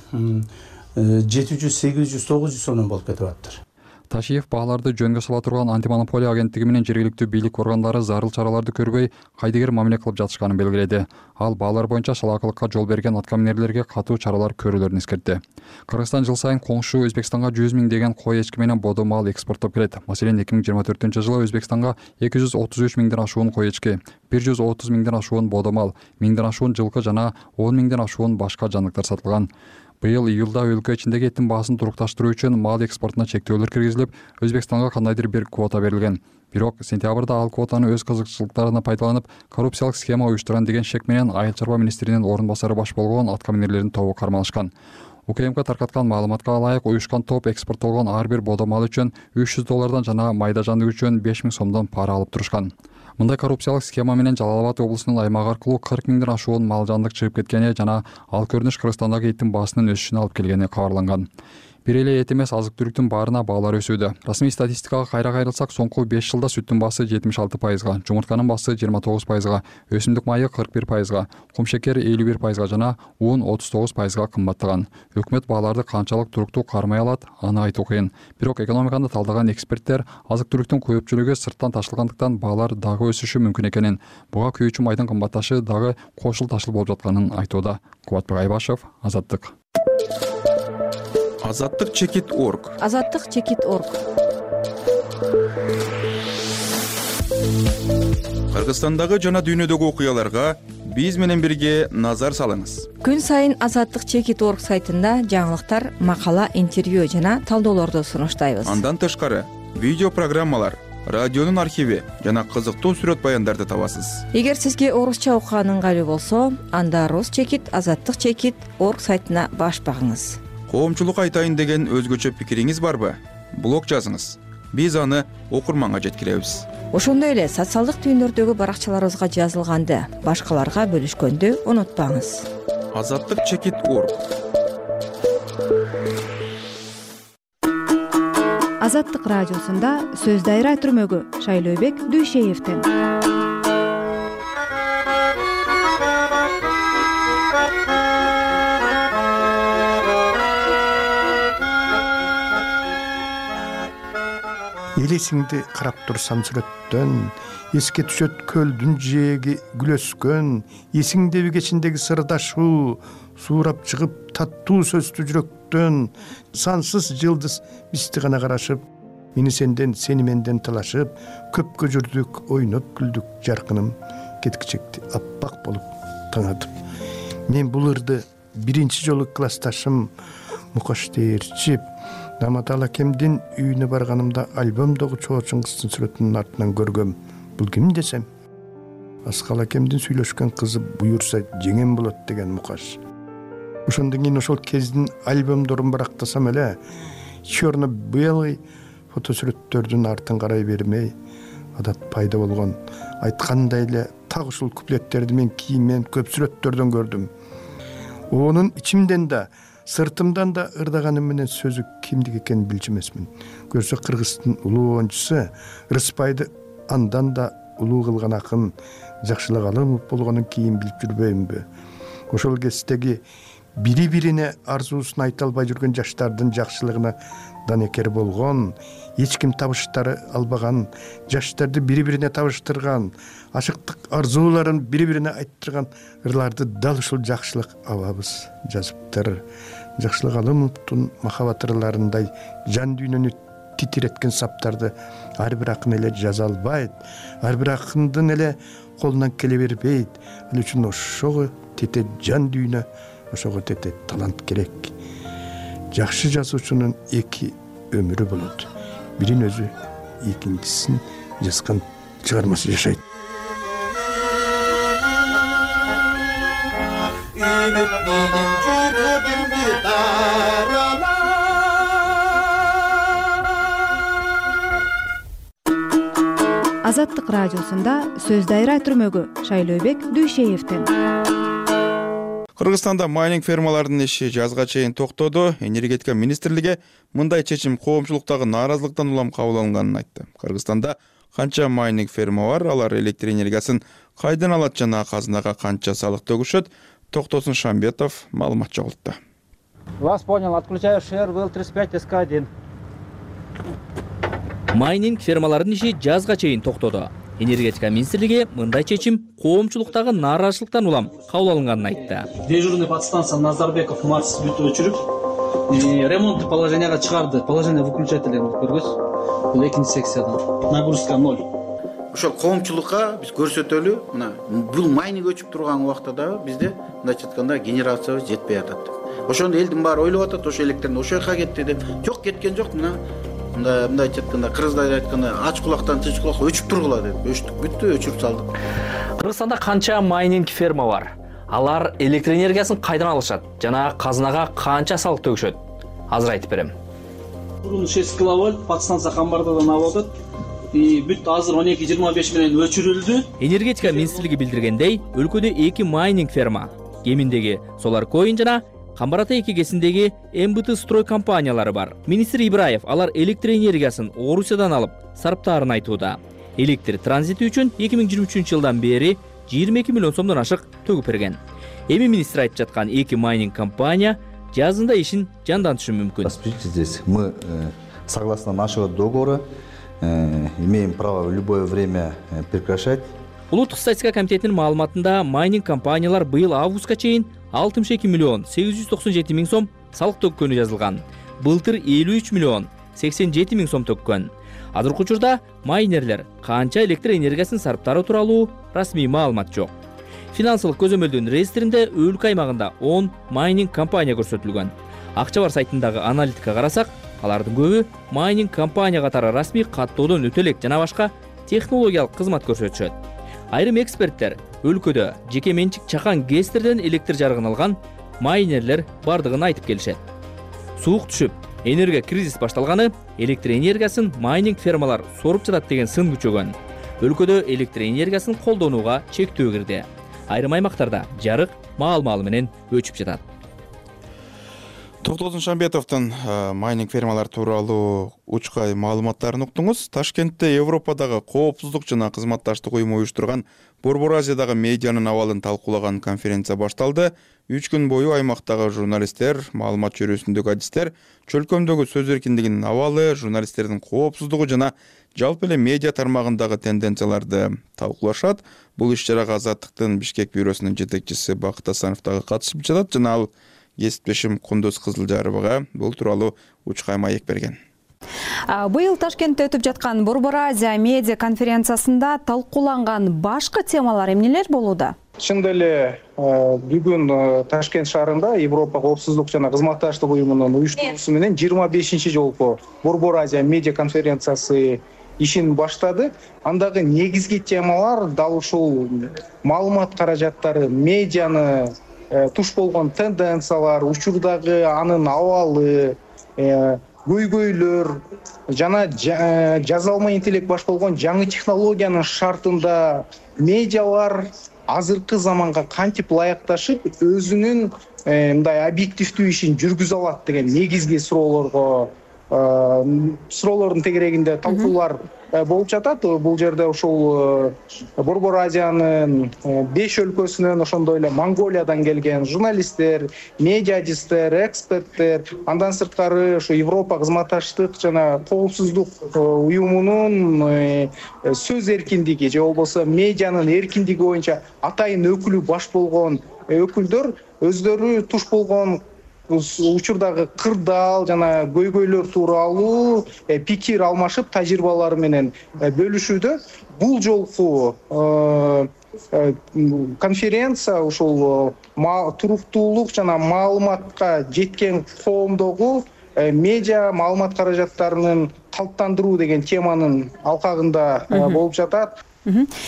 жети жүз, сегиз жүз, тогуз жүз сомдон болуп кетип атыптыр. Ташиев бааларды жөнгө сала турган антимонополия агенттиги менен жергиликтүү бийлик органдары зарыл чараларды көрбөй кайдыгер мамиле кылып жатышканын белгиледи. Ал баалар боюнча шалаакылыкка жол берген аткаминерлерге катуу чаралар көрүүлөрүн эскертти. Кыргызстан жыл сайын коңшу Өзбекстанга жүз миң деген кой эчки менен бодо мал экспорттоп келет. Маселен, эки миң жыйырма төртүнчү жылы Өзбекстанга эки жүз отуз үч миңден ашуун кой эчки, бир жүз отуз миңден ашуун бодо мал, миңден ашуун жылкы жана он миңден ашуун башка жандыктар сатылган. Быйыл июлда өлкө ичиндеги этин баасын турукташтыруу үчүн мал экспортуна чектөөлөр киргизилип, Өзбекстанга кандайдыр бир квота берилген. Бирок сентябрда ал квотаны өз кызыкчылыктарына пайдаланып, коррупциялык схема уюштурган деген шек менен Айыл чарба министринин орун басары баш болгон аткаминерлердин тобу кармалышкан. УКМК таркаткан маалыматка ылайык, уюшкан топ экспорттолгон ар бир бодо мал үчүн үч жүз доллардан жана майда жандык үчүн беш миң сомдон пара алып турушкан. Мындай коррупциялык схема менен Жалал Абад облусунун аймагы аркылуу кырк миңден ашуун мал жандык чыгып кеткени жана ал көрүнүш Кыргызстандагы эттин баасынын өсүшүнө алып келгени кабарланган. Бир эле эт эмес, азык-түлүктүн баарына баалар өсүүдө. Расмий статистикага кайра кайрылсак, соңку беш жылда сүттүн баасы жетимиш алты пайызга, жумуртканын баасы жыйырма тогуз пайызга, өсүмдүк майы кырк бир пайызга, кумшекер элүү бир пайызга жана un отуз тогуз пайызга кымбаттаган. Өкмөт бааларды канчалык туруктуу кармай алат, аны айтуу кыйын. Бирок экономиканы талдаган эксперттер азык-түлүктүн көпчүлүгү сырттан ташылгандыктан баалар дагы өсүшү мүмкүн экенин, буга күйүүчү майдын кымбатташы дагы кошул ташыл болуп жатканын айтууда. Кубатбек Айбашев, Азаттык. Азаттык чекит орг. Азаттык чекит орг. Кыргызстандагы жана дүйнөдөгү окуяларга биз менен бирге назар салыңыз. Күн сайын Азаттык чекит орг сайтында жаңылыктар, макала, интервью жана талдоолорду сунуштайбыз. Андан тышкары видео программалар, радионун архиви жана кызыктуу сүрөт баяндарды табасыз. Эгер сизге орусча окуган ыңгайлуу болсо, анда рус чекит, азаттык чекит орг сайтына баш багыңыз. Коомчулук айтайын деген өзгөчө пикириңиз барбы? Блог жазыңыз. Биз аны окурманга жеткиребиз. Ошондой эле социалдык түйүндөрдөгү баракчаларыбызга жазылганды башкаларга бөлүшкөндү унутпаңыз. Азаттык чекит орг. Азаттык радиосунда сөз дайра түрмөгү Шайлообек Дүйшеевден. Элесиңди карап турсам сүрөттөн, эске түшөт көлдүн жээги күлөскөн, эсиңдеби кечиндеги сырдашуу, суурап чыгып таттуу сөздүү жүрөктөн, сансыз жылдыз бизди гана карашып, мени сенден, сени менден талашып, көпкө жүрдүк, ойноп күлдүк, жаркыным кеткичекти аппак болуп таңатып. Мен бул ырды биринчи жолу классташым Мукаш Дээрчип Наматал акемдин үйүнө барганымда альбомдогу чоочун кыздын сүрөтүнүн артынан көргөм. Бул ким десем, Аскал акемдин сүйлөшкөн кызы буюрса жеңем болот деген Мукаш. Ошондон кийин ошол кездин альбомдорун барактасам эле, черно-белый фотосүрөттөрдүн артын карай бермей, адат пайда болгон. Айткандай эле так ушул куплеттерди мен кийинмен көп сүрөттөрдөн көрдүм. Онун ичимден да, сыртымдан да ырдаганым менен сөзү кимдик экенин билчү эмесмин. Көрсө Кыргыздын улуу оюнчусу Рыспайды андан да улуу кылган акын Жакшылык Алымов болгонун кийин билип жүрбөймүнбү? Ошол кездеги бири-бирине арзуусун айта албай жүргөн жаштардын жакшылыгына данекер болгон, эч ким табыштары албаган, жаштарды бири-бирине табыштырган, ашыктык арзууларын бири-бирине айттырган ырларды дал ушул Жакшылык абабыз жазыптыр. Жакшылык Алымовдун махабат ырларындай жан дүйнөнү титиреткен саптарды ар бир акын эле жаза албайт, ар бир акындын эле колунан келе бербейт. Ал үчүн ошого тете жан дүйнө, ошого тете талант керек. Жакшы жазуучунун эки өмүрү болот. Бирин өзү, экинчисин жазган чыгармасы жашайт. Азаттык радиосунда сөз дайра түрмөгү Шайлообек Дүйшеевден. Кыргызстанда майнинг фермаларынын иши жазга чейин токтоду. Энергетика министрлиги мындай чечим коомчулуктагы нааразылыктан улам кабыл алынганын айтты. Кыргызстанда канча майнинг ферма бар, алар электр энергиясын кайдан алат жана казынага канча салык төгүшөт? Токтосун Шамбетов маалымат чогултду. Вас понял, отключаю ШР ВЛ тридцать пять эс ка один. Майнинг фермаларынын иши жазга чейин токтоду. Энергетика министрлиги мындай чечим коомчулуктагы нааразычылыктан улам кабыл алынганын айтты. Дежурный подстанция Назарбеков Марс бүт өчүрүп, ремонттук положенияга чыгарды. Положение выключателя көргөз. Бул экинчи секциядан. Нагрузка ноль. Ошол коомчулукка биз көрсөтөлү, мына бул майнинг өчүп турган убакта да бизде мындайча айтканда генерациябыз жетпей атат. Ошондо элдин баары ойлоп атат, ошо электрден ошол жака кетти деп. Жок, кеткен жок. Мына мындай мындайча айтканда кыргыздар айтканда ач кулактан тынч кулакка өчүп тургула деп. Өчтүк, бүттү, өчүрүп салдык. Кыргызстанда канча майнинг ферма бар? Алар электр энергиясын кайдан алышат жана казынага канча салык төгүшөт? Азыр айтып берем. Бурун шесть киловольт подстанция Камбардадан алып атат. И бүт азыр он эки жыйырма беш менен өчүрүлдү. Энергетика министрлиги билдиргендей, өлкөдө эки майнинг ферма, Кеминдеги Solarcoin жана Камбар Ата эки кесиндеги эм бэ тэ строй компаниялары бар. Министр Ибраев алар электр энергиясын Орусиядан алып сарптаарын айтууда. Электр транзити үчүн эки миң жыйырма үчүнчү жылдан бери жыйырма эки миллион сомдон ашык төгүп берген. Эми министр айтып жаткан эки майнинг компания жазында ишин жандантышы мүмкүн. Здесь мы согласно нашего договора имеем право в любое время прекращать. Улуттук статистика комитетинин маалыматында майнинг компаниялар быйыл августка чейин алтымыш эки миллион сегиз жүз токсон жети миң сом салык төккөнү жазылган. Былтыр элүү үч миллион сексен жети миң сом төккөн. Азыркы учурда майнерлер канча электр энергиясын сарптары тууралуу расмий маалымат жок. Финансылык көзөмөлдүн реестринде өлкө аймагында он майнинг компания көрсөтүлгөн. Акча бар сайтындагы аналитика карасак, алардын көбү майнинг компания катары расмий каттоодон өтө элек жана башка технологиялык кызмат көрсөтүшөт. Айрым эксперттер өлкөдө жеке менчик чакан гэстерден электр жарыгын алган майнерлер бардыгын айтып келишет. Суук түшүп, энергия кризис башталганы электр энергиясын майнинг фермалар соруп жатат деген сын күчөгөн. Өлкөдө электр энергиясын колдонууга чектөө кирди. Айрым аймактарда жарык маал-маалы менен өчүп жатат. Токтолдун Шамбетовдун майнинг фермалар тууралуу учкай маалыматтарын уктуңуз. Ташкентте Европадагы коопсуздук жана кызматташтык уюму уюштурган Борбор Азиядагы медианын абалын талкуулаган конференция башталды. Үч күн бою аймактагы журналисттер, маалымат чөйрөсүндөгү адистер, чөлкөмдөгү сөз эркиндигинин абалы, журналисттердин коопсуздугу жана жалпы эле медиа тармагындагы тенденцияларды талкуулашат. Бул иш-чарага Азаттыктын Бишкек бюросунун жетекчиси Бакыт Асанов дагы катышып жатат жана ал кесиптешим Кундуз Кызылжаровага бул тууралуу учкай маек берген. Быйыл Ташкентте өтүп жаткан Борбор Азия медиа конференциясында талкууланган башкы темалар эмнелер болууда? Чындап эле бүгүн Ташкент шаарында Европа коопсуздук жана кызматташтык уюмунун уюштуруусу менен жыйырма бешинчи жолку Борбор Азия медиа конференциясы ишин баштады. Андагы негизги темалар дал ушул маалымат каражаттары, медианы туш болгон тенденциялар, учурдагы анын абалы, көйгөйлөр жана жазалма интеллект баш болгон жаңы технологиянын шартында медиалар азыркы заманга кантип ылайыкташып өзүнүн мындай объективдүү ишин жүргүзө алат деген негизги суроолорго суроолордун тегерегинде талкуулар болуп жатат. Бул жерде ушул Борбор Азиянын беш өлкөсүнөн, ошондой эле Монголиядан келген журналисттер, медиадисттер, эксперттер, андан сырткары ушу Европа кызматташтык жана коопсуздук уюмунун сөз эркиндиги же болбосо медианын эркиндиги боюнча атайын өкүлү баш болгон өкүлдөр өздөрү туш болгон учурдагы кырдаал жана көйгөйлөр тууралуу пикир алмашып, тажрыйбалары менен бөлүшүүдө. Бул жолку конференция ушул туруктуулук жана маалыматка жеткен коомдогу медиа маалымат каражаттарынын калыптандыруу деген теманын алкагында болуп жатат.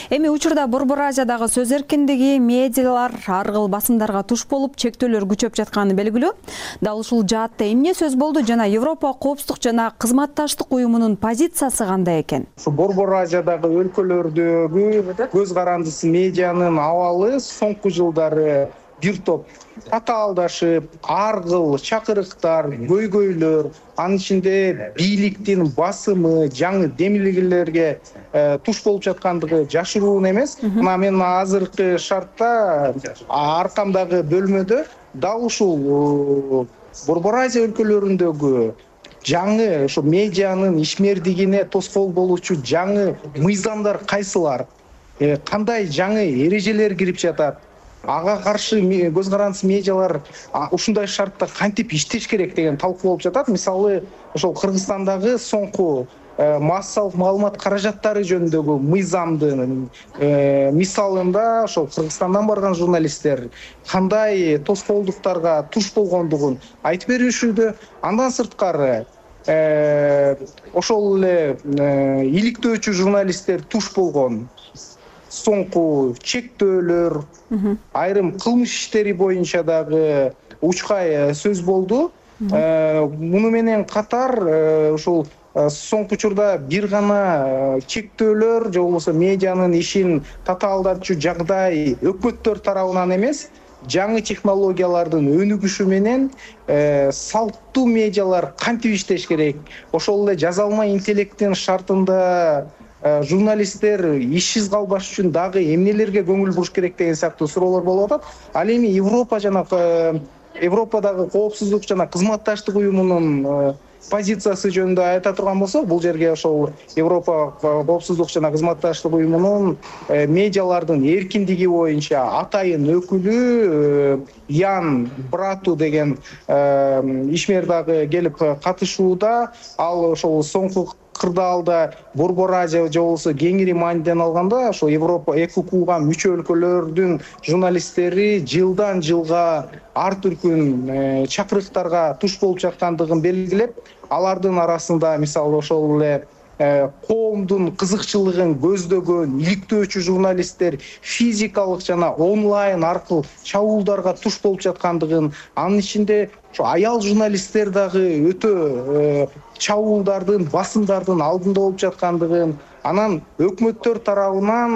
Эми учурда Борбор Азиядагы сөз эркиндиги, медиалар ар кыл басымдарга туш болуп, чектөөлөр күчөп жатканы белгилүү. Дал ушул жаатта эмне сөз болду жана Европа коопсуздук жана кызматташтык уюмунун позициясы кандай экен? Ушу Борбор Азиядагы өлкөлөрдөгү көз карандысы медианын абалы соңку жылдары бир топ татаалдашып, ар кыл чакырыктар, көйгөйлөр, анын ичинде бийликтин басымы, жаңы демилгелерге туш болуп жаткандыгы жашыруун эмес. Мына мен азыркы шартта аркамдагы бөлмөдө дал ушул Борбор Азия өлкөлөрүндөгү жаңы ошо медианын ишмердигине тоскоол болуучу жаңы мыйзамдар кайсылар, кандай жаңы эрежелер кирип жатат, ага каршы көз карандысыз медиалар ушундай шартта кантип иштеш керек деген талкуу болуп жатат. Мисалы ошол Кыргызстандагы соңку массалык маалымат каражаттары жөнүндөгү мыйзамдын мисалында ошол Кыргызстандан барган журналисттер кандай тоскоолдуктарга туш болгондугун айтып беришүүдө. Андан сырткары ошол эле иликтөөчү журналисттер туш болгон соңку чектөөлөр, айрым кылмыш иштери боюнча дагы учкай сөз болду. Муну менен катар ушул соңку учурда бир гана чектөөлөр же болбосо медианын ишин татаалдатчу жагдай өкмөттөр тарабынан эмес, жаңы технологиялардын өнүгүшү менен салттуу медиалар кантип иштеш керек, ошол эле жазалма интеллекттин шартында журналисттер ишсиз калбаш үчүн дагы эмнелерге көңүл буруш керек деген сыяктуу суроолор болуп атат. Ал эми Европа жана Европадагы коопсуздук жана кызматташтык уюмунун позициясы жөнүндө айта турган болсок, бул жерге ошол Европа коопсуздук жана кызматташтык уюмунун медиалардын эркиндиги боюнча атайын өкүлү Ян Брату деген ишмер дагы келип катышууда. Ал ошол соңку кырдаалда Борбор Азия же болбосо кеңири мааниден алганда ошо Европа ЭКУКга мүчө өлкөлөрдүн журналисттери жылдан жылга ар түркүн чакырыктарга туш болуп жаткандыгын белгилеп, алардын арасында мисалы ошол эле коомдун кызыкчылыгын көздөгөн иликтөөчү журналисттер физикалык жана онлайн аркылуу чабуулдарга туш болуп жаткандыгын, анын ичинде ошо аял журналисттер дагы өтө чабуулдардын, басымдардын алдында болуп жаткандыгын, анан өкмөттөр тарабынан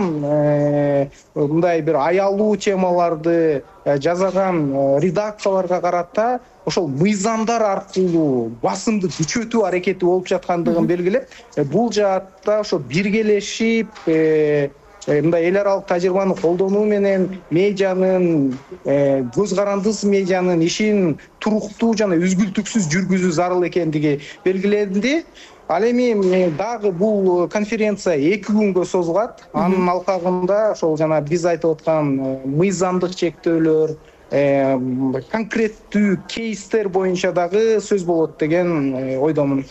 мындай бир аялуу темаларды жасаган редакцияларга карата ошол мыйзамдар аркылуу басымды күчөтүү аракети болуп жаткандыгын белгилеп, бул жаатта ошо биргелешип мындай эл аралык тажрыйбаны колдонуу менен медианын, көз карандысыз медианын ишин туруктуу жана үзгүлтүксүз жүргүзүү зарыл экендиги белгиленди. Ал эми дагы бул конференция эки күнгө созулат. Анын алкагында ошол жана биз айтып аткан мыйзамдык чектөөлөр, конкреттүү кейстер боюнча дагы сөз болот деген ойдомун.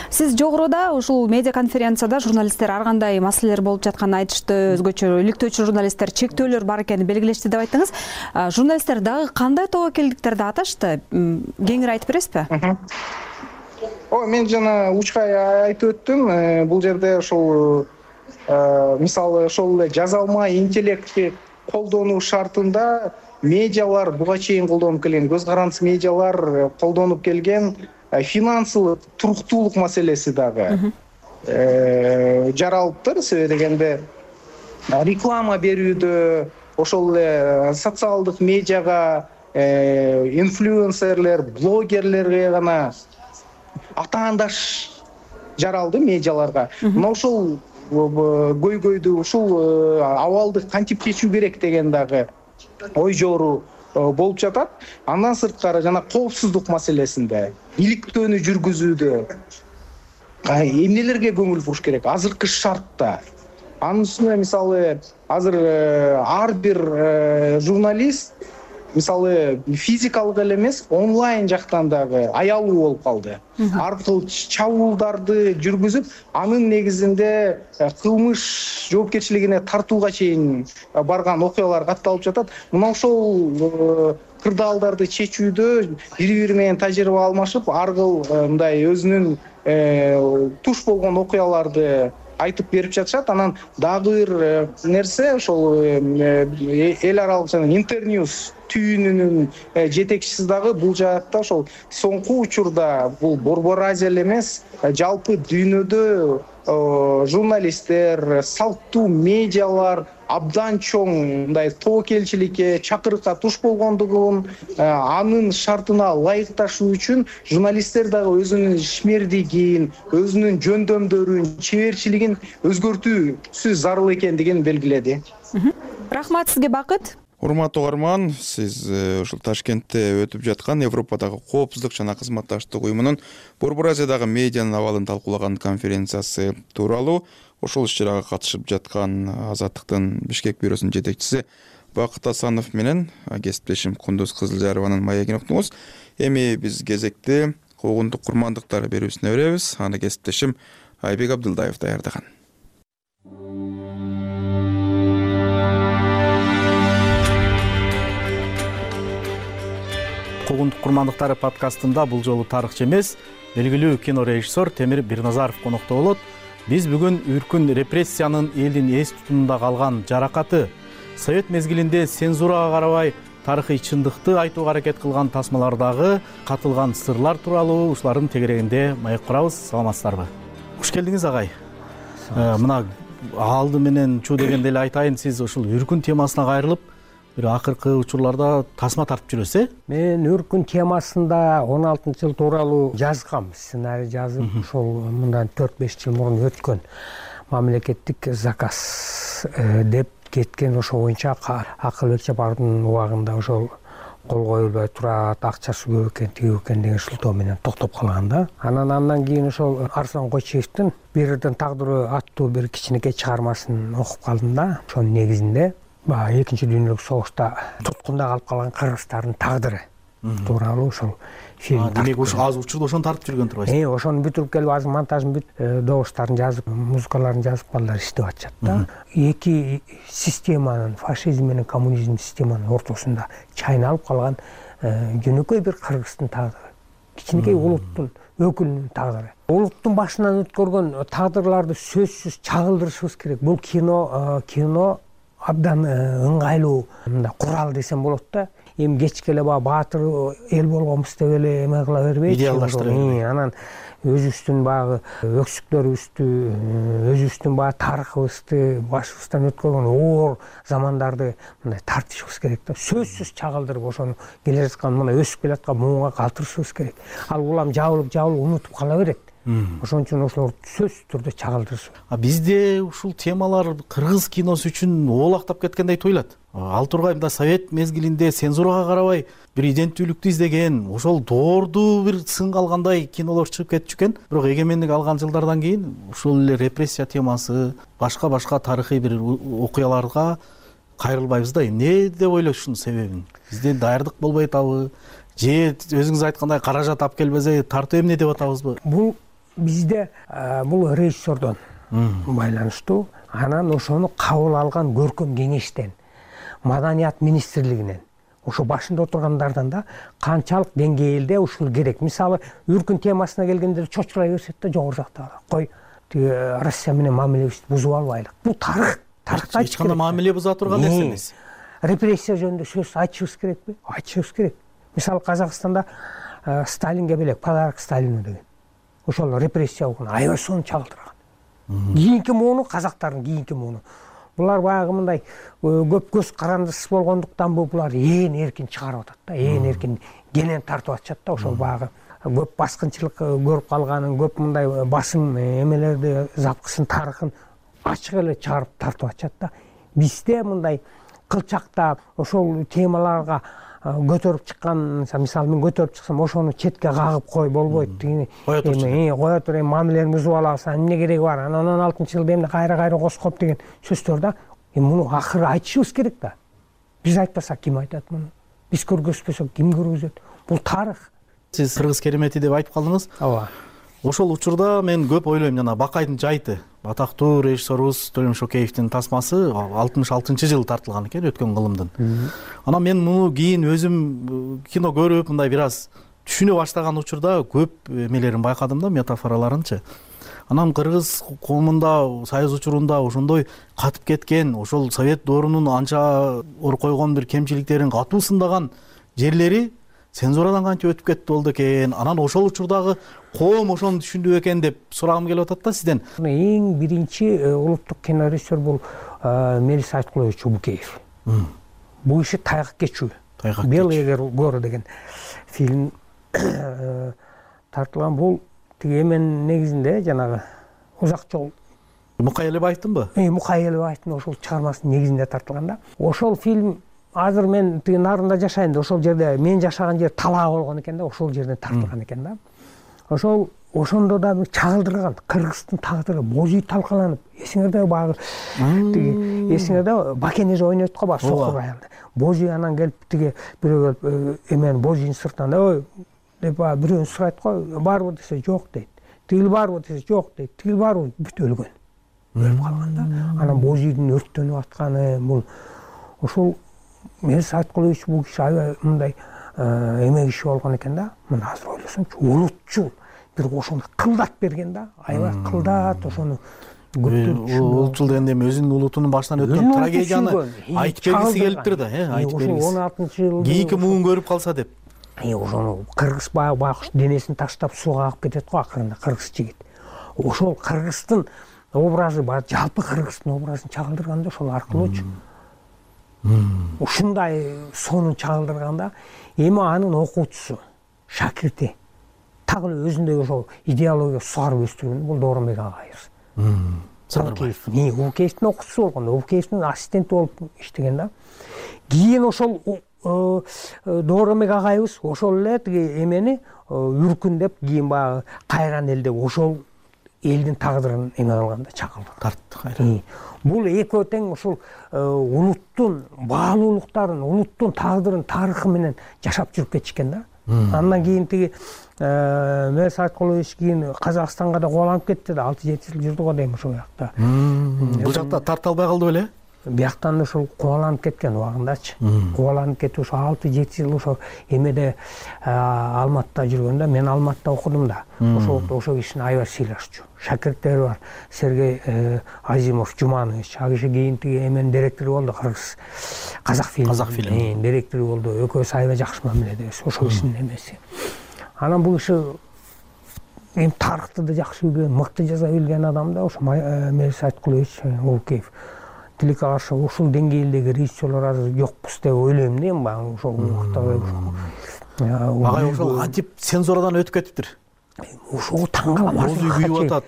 Сиз жогоруда ушул медиа конференцияда журналисттер ар кандай маселелер болуп жатканын айтышты, өзгөчө иликтөөчү журналисттер чектөөлөр бар экенин белгилешти деп айттыңыз. Журналисттер дагы кандай тобокелдиктерди аташты? Кеңири айтып бересизби? Ой, мен жана учкай айтып өттүм. Бул жерде ошол мисалы ошол эле жазалма интеллектти колдонуу шартында медиалар буга чейин колдонуп келген, көз карандысыз медиалар колдонуп келген финансылык туруктуулук маселеси дагы жаралыптыр. Себеби дегенде реклама берүүдө ошол эле социалдык медиага инфлюенсерлер, блогерлерге гана атаандаш жаралды медиаларга. Мына ошол көйгөйдү, ушул абалды кантип чечүү керек деген дагы ой жору болуп жатат. Андан сырткары жана коопсуздук маселесинде, иликтөөнү жүргүзүүдө эмнелерге көңүл буруш керек азыркы шартта. Анын үстүнө мисалы азыр ар бир журналист мисалы физикалык эле эмес, онлайн жактан дагы аялуу болуп калды. Ар кыл чабуулдарды жүргүзүп, анын негизинде кылмыш жоопкерчилигине тартууга чейин барган окуялар катталып жатат. Мына ошол кырдаалдарды чечүүдө бири-бири менен тажрыйба алмашып, ар кыл мындай өзүнүн туш болгон окуяларды айтып берип жатышат. Анан дагы бир нерсе ошол эл аралык жана Интерньюз түйүнүнүн жетекчиси дагы бул жаатта ошол соңку учурда бул Борбор Азия эле эмес, жалпы дүйнөдө журналисттер, салттуу медиалар абдан чоң мындай тобокелчиликке, чакырыкка туш болгондугун, анын шартына ылайыкташуу үчүн журналисттер дагы өзүнүн ишмердигин, өзүнүн жөндөмдөрүн, чеберчилигин өзгөртүүсү зарыл экендигин белгиледи. Рахмат сизге, Бакыт. Урматтуу угарман, сиз ушул Ташкентте өтүп жаткан Европадагы коопсуздук жана кызматташтык уюмунун Борбор Азиядагы медианын абалын талкуулаган конференциясы тууралуу ошол иш-чарага катышып жаткан Азаттыктын Бишкек бюросунун жетекчиси Бакыт Асанов менен кесиптешим Кундуз Кызылжарованын маегин уктуңуз. Эми биз кезекти куугунтук курмандыктар берүүсүнө беребиз. Аны кесиптешим Айбек Абдылдаев даярдаган. Куугунтук курмандыктары подкастында бул жолу тарыхчы эмес, белгилүү кино режиссер Темир Бирназаров конокто болот. Биз бүгүн үркүн репрессиянын элдин эс тутумунда калган жаракаты, Совет мезгилинде цензурага карабай тарыхый чындыкты айтууга аракет кылган тасмалардагы катылган сырлар тууралуу ушулардын тегерегинде маек курабыз. Саламатсыздарбы? Куш келдиңиз агай. Мына алды менен чуу дегенде эле айтайын, сиз ушул үркүн темасына кайрылып бир акыркы учурларда тасма тартып жүрөсүз, э? Мен үркүн темасында он алтынчы жыл тууралуу жазгам, сценарий жазып, ошол мындан төрт беш жыл мурун өткөн мамлекеттик заказ деп кеткен, ошо боюнча акыл өлчөп ардын убагында ошол кол коюлбай турат, акчасы көп экен, тиги экен деген шылтоо менен токтоп калган да. Анан андан кийин ошол Арслан Койчиевдин Бирдин тагдыры аттуу бир кичинекей чыгармасын окуп калдым да. Ошонун негизинде баягы экинчи дүйнөлүк согушта туткунда калып калган кыргыздардын тагдыры тууралуу ошол фильм. Демек ушу азыр учурда ошону тартып жүргөн турбайсыз? Э, ошону бүтүрүп келип азыр монтажын бүтүп, добуштарын жазып, музыкаларын жазып балдар иштеп атышат да. Эки системанын, фашизм менен коммунизм системанын ортосунда чайналып калган жөнөкөй бир кыргыздын тагдыры, кичинекей улуттун өкүлүнүн тагдыры. Улуттун башынан өткөргөн тагдырларды сөзсүз чагылдырышыбыз керек. Бул кино кино абдан ыңгайлуу курал десем болот да. Эми кечке эле баягы баатыр эл болгонбуз деп эле эме кыла бербейт. Идеалдаштырып. Анан өзүбүздүн баягы өксүктөрүбүздү, өзүбүздүн баягы тарыхыбызды, башыбыздан өткөргөн оор замандарды мындай тартышыбыз керек да. Сөзсүз чагылдырып ошону келе жаткан мына өсүп келаткан муунга калтырышыбыз керек. Ал улам жабылып жабылып унутуп кала берет. Ошон үчүн ошолорду сөзсүз түрдө чагылдырышып. А бизде ушул темалар кыргыз киносу үчүн оолактап кеткендей туюлат. Ал тургай мында Совет мезгилинде цензурага карабай бир иденттүүлүктү издеген, ошол доорду бир сынга алгандай кинолор чыгып кетчү экен. Бирок эгемендик алган жылдардан кийин ушул эле репрессия темасы, башка-башка тарыхый бир окуяларга кайрылбайбыз да. Эмне деп ойлойсуз себебин? Бизде даярдык болбой атабы? Же өзүңүз айткандай каражат алып келбесе тартуу эмне деп атабызбы? Бул бизде бул режиссердон байланыштуу. Анан ошону кабыл алган көркөм кеңештен, маданият министрлигинен, ошо башында отургандардан да канчалык деңгээлде ушул керек. Мисалы, үркүн темасына келгенде чочулай беришет да жогору жакта. Кой, тиги Россия менен мамилебизди бузуп албайлык. Бул тарых. Тарыхта эч кандай мамиле буза турган нерсе эмес. Репрессия жөнүндө сөз айтышыбыз керекпи? Айтышыбыз керек. Мисалы, Казакстанда Сталинге белек подарок Сталину деген. Ошол репрессия болгон аябай сонун чагылдырган. Кийинки мууну казактардын кийинки мууну. Булар баягы мындай көп көз карандысыз болгондуктан булар ээн эркин чыгарып атат да, ээн эркин кенен тартып атышат да. Ошол баягы көп баскынчылык көрүп калганын, көп мындай басым эмелерди, запкысын, тарыхын ачык эле чыгарып тартып атышат да. Бизде мындай кылчакта ошол темаларга көтөрүп чыккан, мисалы мен көтөрүп чыксам, ошону четке кагып кой болбойт. Эми кое тур, эми мамилени бузуп алабыз, эмне кереги бар? Анан он алтынчы жылда эмне кайра-кайра коскоп деген сөздөр да. Эми муну акыры айтышыбыз керек да. Биз айтпасак ким айтат муну? Биз көргөзбөсөк ким көргөзөт? Бул тарых. Сиз кыргыз керемети деп айтып калдыңыз. Ооба. Ошол учурда мен көп ойлойм, жана Бакайдын жайты, атактуу режиссерубуз Төлөм Шокеевдин тасмасы алтымыш алтынчы жылы тартылган экен, өткөн кылымдын. Анан мен муну кийин өзүм кино көрүп, мындай бир аз түшүнө баштаган учурда көп эмелерин байкадым да, метафораларынчы. Анан кыргыз коомунда союз учурунда ошондой катып кеткен, ошол совет доорунун анча ор койгон бир кемчиликтерин катуу сындаган жерлери цензурадан канча өтүп кетти болду экен. Анан ошол учурдагы коом ошону түшүндү экен деп сурагым келип атат да сизден. Эң биринчи улуттук кинорежиссер бул Мелис Айткулович Чубукеев. Бул иши тайгак кечүү. Белые горы деген фильм тартылган. Бул тиги эменин негизинде жанагы узак жол Мукай Элебаевдинбы? Э, Мукай Элебаевдин ошол чыгармасынын негизинде тартылган да. Ошол фильм азыр мен тиги нарында жашайм да, ошол жерде мен жашаган жер талаа болгон экен да, ошол жерден тартылган экен да. Ошол ошондо да чагылдырган Кыргыздын тагдыры божий талкаланып, эсиңерде баягы тиги эсиңерде Бакенеж ойнойт го баягы сокур аялды. Божий анан келип тиги бирөө келип эмен божийдин сыртынан ой деп бирөөнү сурайт го, барбы десе жок дейт. Тигил барбы десе жок дейт. Тигил барбы бүт өлгөн. Өлүп калган да. Анан божийдин өрттөнүп атканы бул ошол Мирза Айткулович бул киши аябай мындай эме киши болгон экен да. Мына азыр ойлосомчу, улутчул бир ошону кылдат берген да. Аябай кылдат ошону улутчул дегенде эми өзүнүн улутунун башынан өткөн трагедияны айтып бергиси келиптир да, э, айтып бергиси. он алтынчы жылы кийинки муун көрүп калса деп. Ошону кыргыз баягы байкуш денесин таштап сууга агып кетет го акырында кыргыз жигит. Ошол кыргыздын образы бар, жалпы кыргыздын образын чагылдырганда ошол аркылуучу. Ушундай сонун чагылдырганда эми анын окуучусу, шакирти так эле өзүндөй ошол идеология сугарып өстүргөн бул Дооронбек агайыбыз. Садырбаев. Не, Убукеевдин окуучусу болгон, Убукеевдин ассистенти болуп иштеген да. Кийин ошол Дооронбек агайыбыз ошол эле тиги эмени үркүн деп кийин баягы кайран эл деп ошол элдин тагдырын эме кылганда чагылды. Тартты кайра. Бул экөө тең ушул улуттун баалуулуктарын, улуттун тагдырын, тарыхы менен жашап жүрүп кетишкен да. Андан кийин тиги Мирза Айткулович кийин Казакстанга да кубаланып кетти да, алты жети жыл жүрдү го дейм ошол жакта. Бул жакта тарта албай калды беле? Бияктан ошол кубаланып кеткен убагындачы. Кубаланып кетип ошо алты жети жыл ошо эмеде Алматыда жүргөндө, мен Алматыда окудум да. Ошол ошол кишини аябай сыйлашчу. Шакирттери бар. Сергей Азимов, Жуманович, ал киши кийин тиги эменин директору болду, Кыргыз Казак фильм. Казак фильм. Директору болду. Экөөсү аябай жакшы мамиледебиз. Ошол кишинин эмеси. Анан бул киши эми тарыхты да жакшы билген, мыкты жаза билген адам да, ошо Мирза Айткулович Улукеев. Тилекке каршы ушул деңгээлдеги режиссерлор азыр жокпуз деп ойлойм да, эми баягы ошол убакта. Агай ошол кантип цензурадан өтүп кетиптир. Ошого таң калам. Озуй күйүп атат.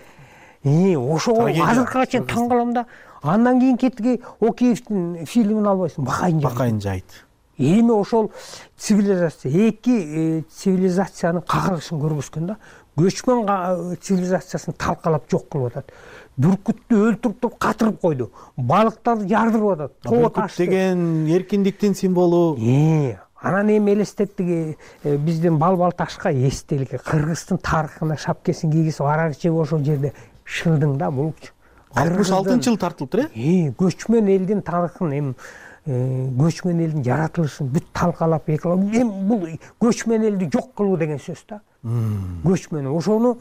Э, ошого азыркыга чейин таң калам да. Андан кийин кеттиги Океевдин фильмин албайсың, Бакайын жайыт. Бакайын жайыт. Эми ошол цивилизация, эки цивилизациянын кагылышын көргөзгөн да. Көчмөн цивилизациясын талкалап жок кылып атат. Бүркүттү өлтүрүп туруп катырып койду. Балыктарды жардырып атат. Бүркүт деген эркиндиктин символу. Э, анан эми элестеттиги биздин Балбал ташка эстеликке Кыргыздын тарыхына шапкесин кийгизип аракчы ошол жерде шылдың да булчу. алтымыш алтынчы жылы тартылыптыр, э? Э, көчмөн элдин тарыхын, эми көчмөн элдин жаратылышын бүт талкалап экилап, эми бул көчмөн элди жок кылуу деген сөз да. Көчмөн ошону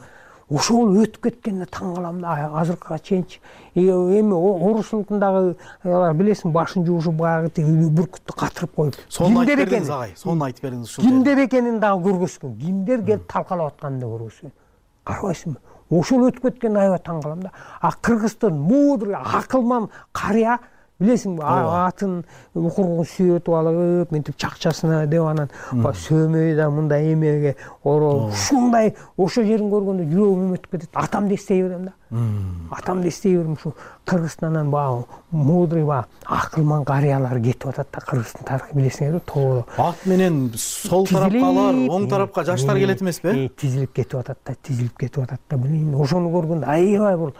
ошол өтүп кеткенине таң калам да, азыркыга чейинчи. Эми орус улутундагы билесиң, башын жуушуп баягы бүркүттү катырып коюп. Сонун айтып бериңиз агай, сонун айтып бериңиз ушул. Кимдер экенин дагы көргөзгөн, кимдер келип талкалап атканын да көргөзгөн. Карабайсыңбы? Ошол өтүп кеткенине аябай таң калам да. А Кыргыздын мудрый, акылман карыя, билесиңби, атын укургун сүйөтүп алып, мынтип чакчасына деп анан сөмөй да мындай эмеге ороп, ушундай ошол жерин көргөндө жүрөгүм өтүп кетет. Атамды эстей берем да. Атамды эстей берем, ушу Кыргызстандан баягы мудрый, баягы акылман карыялар кетип атат да, Кыргыздын тарыхы билесиңерби, тоодо. Ат менен сол тарапкалар, оң тарапка жаштар келет эмеспи? Тизилип кетип атат да, тизилип кетип атат да. Билин, ошону көргөндө аябай бул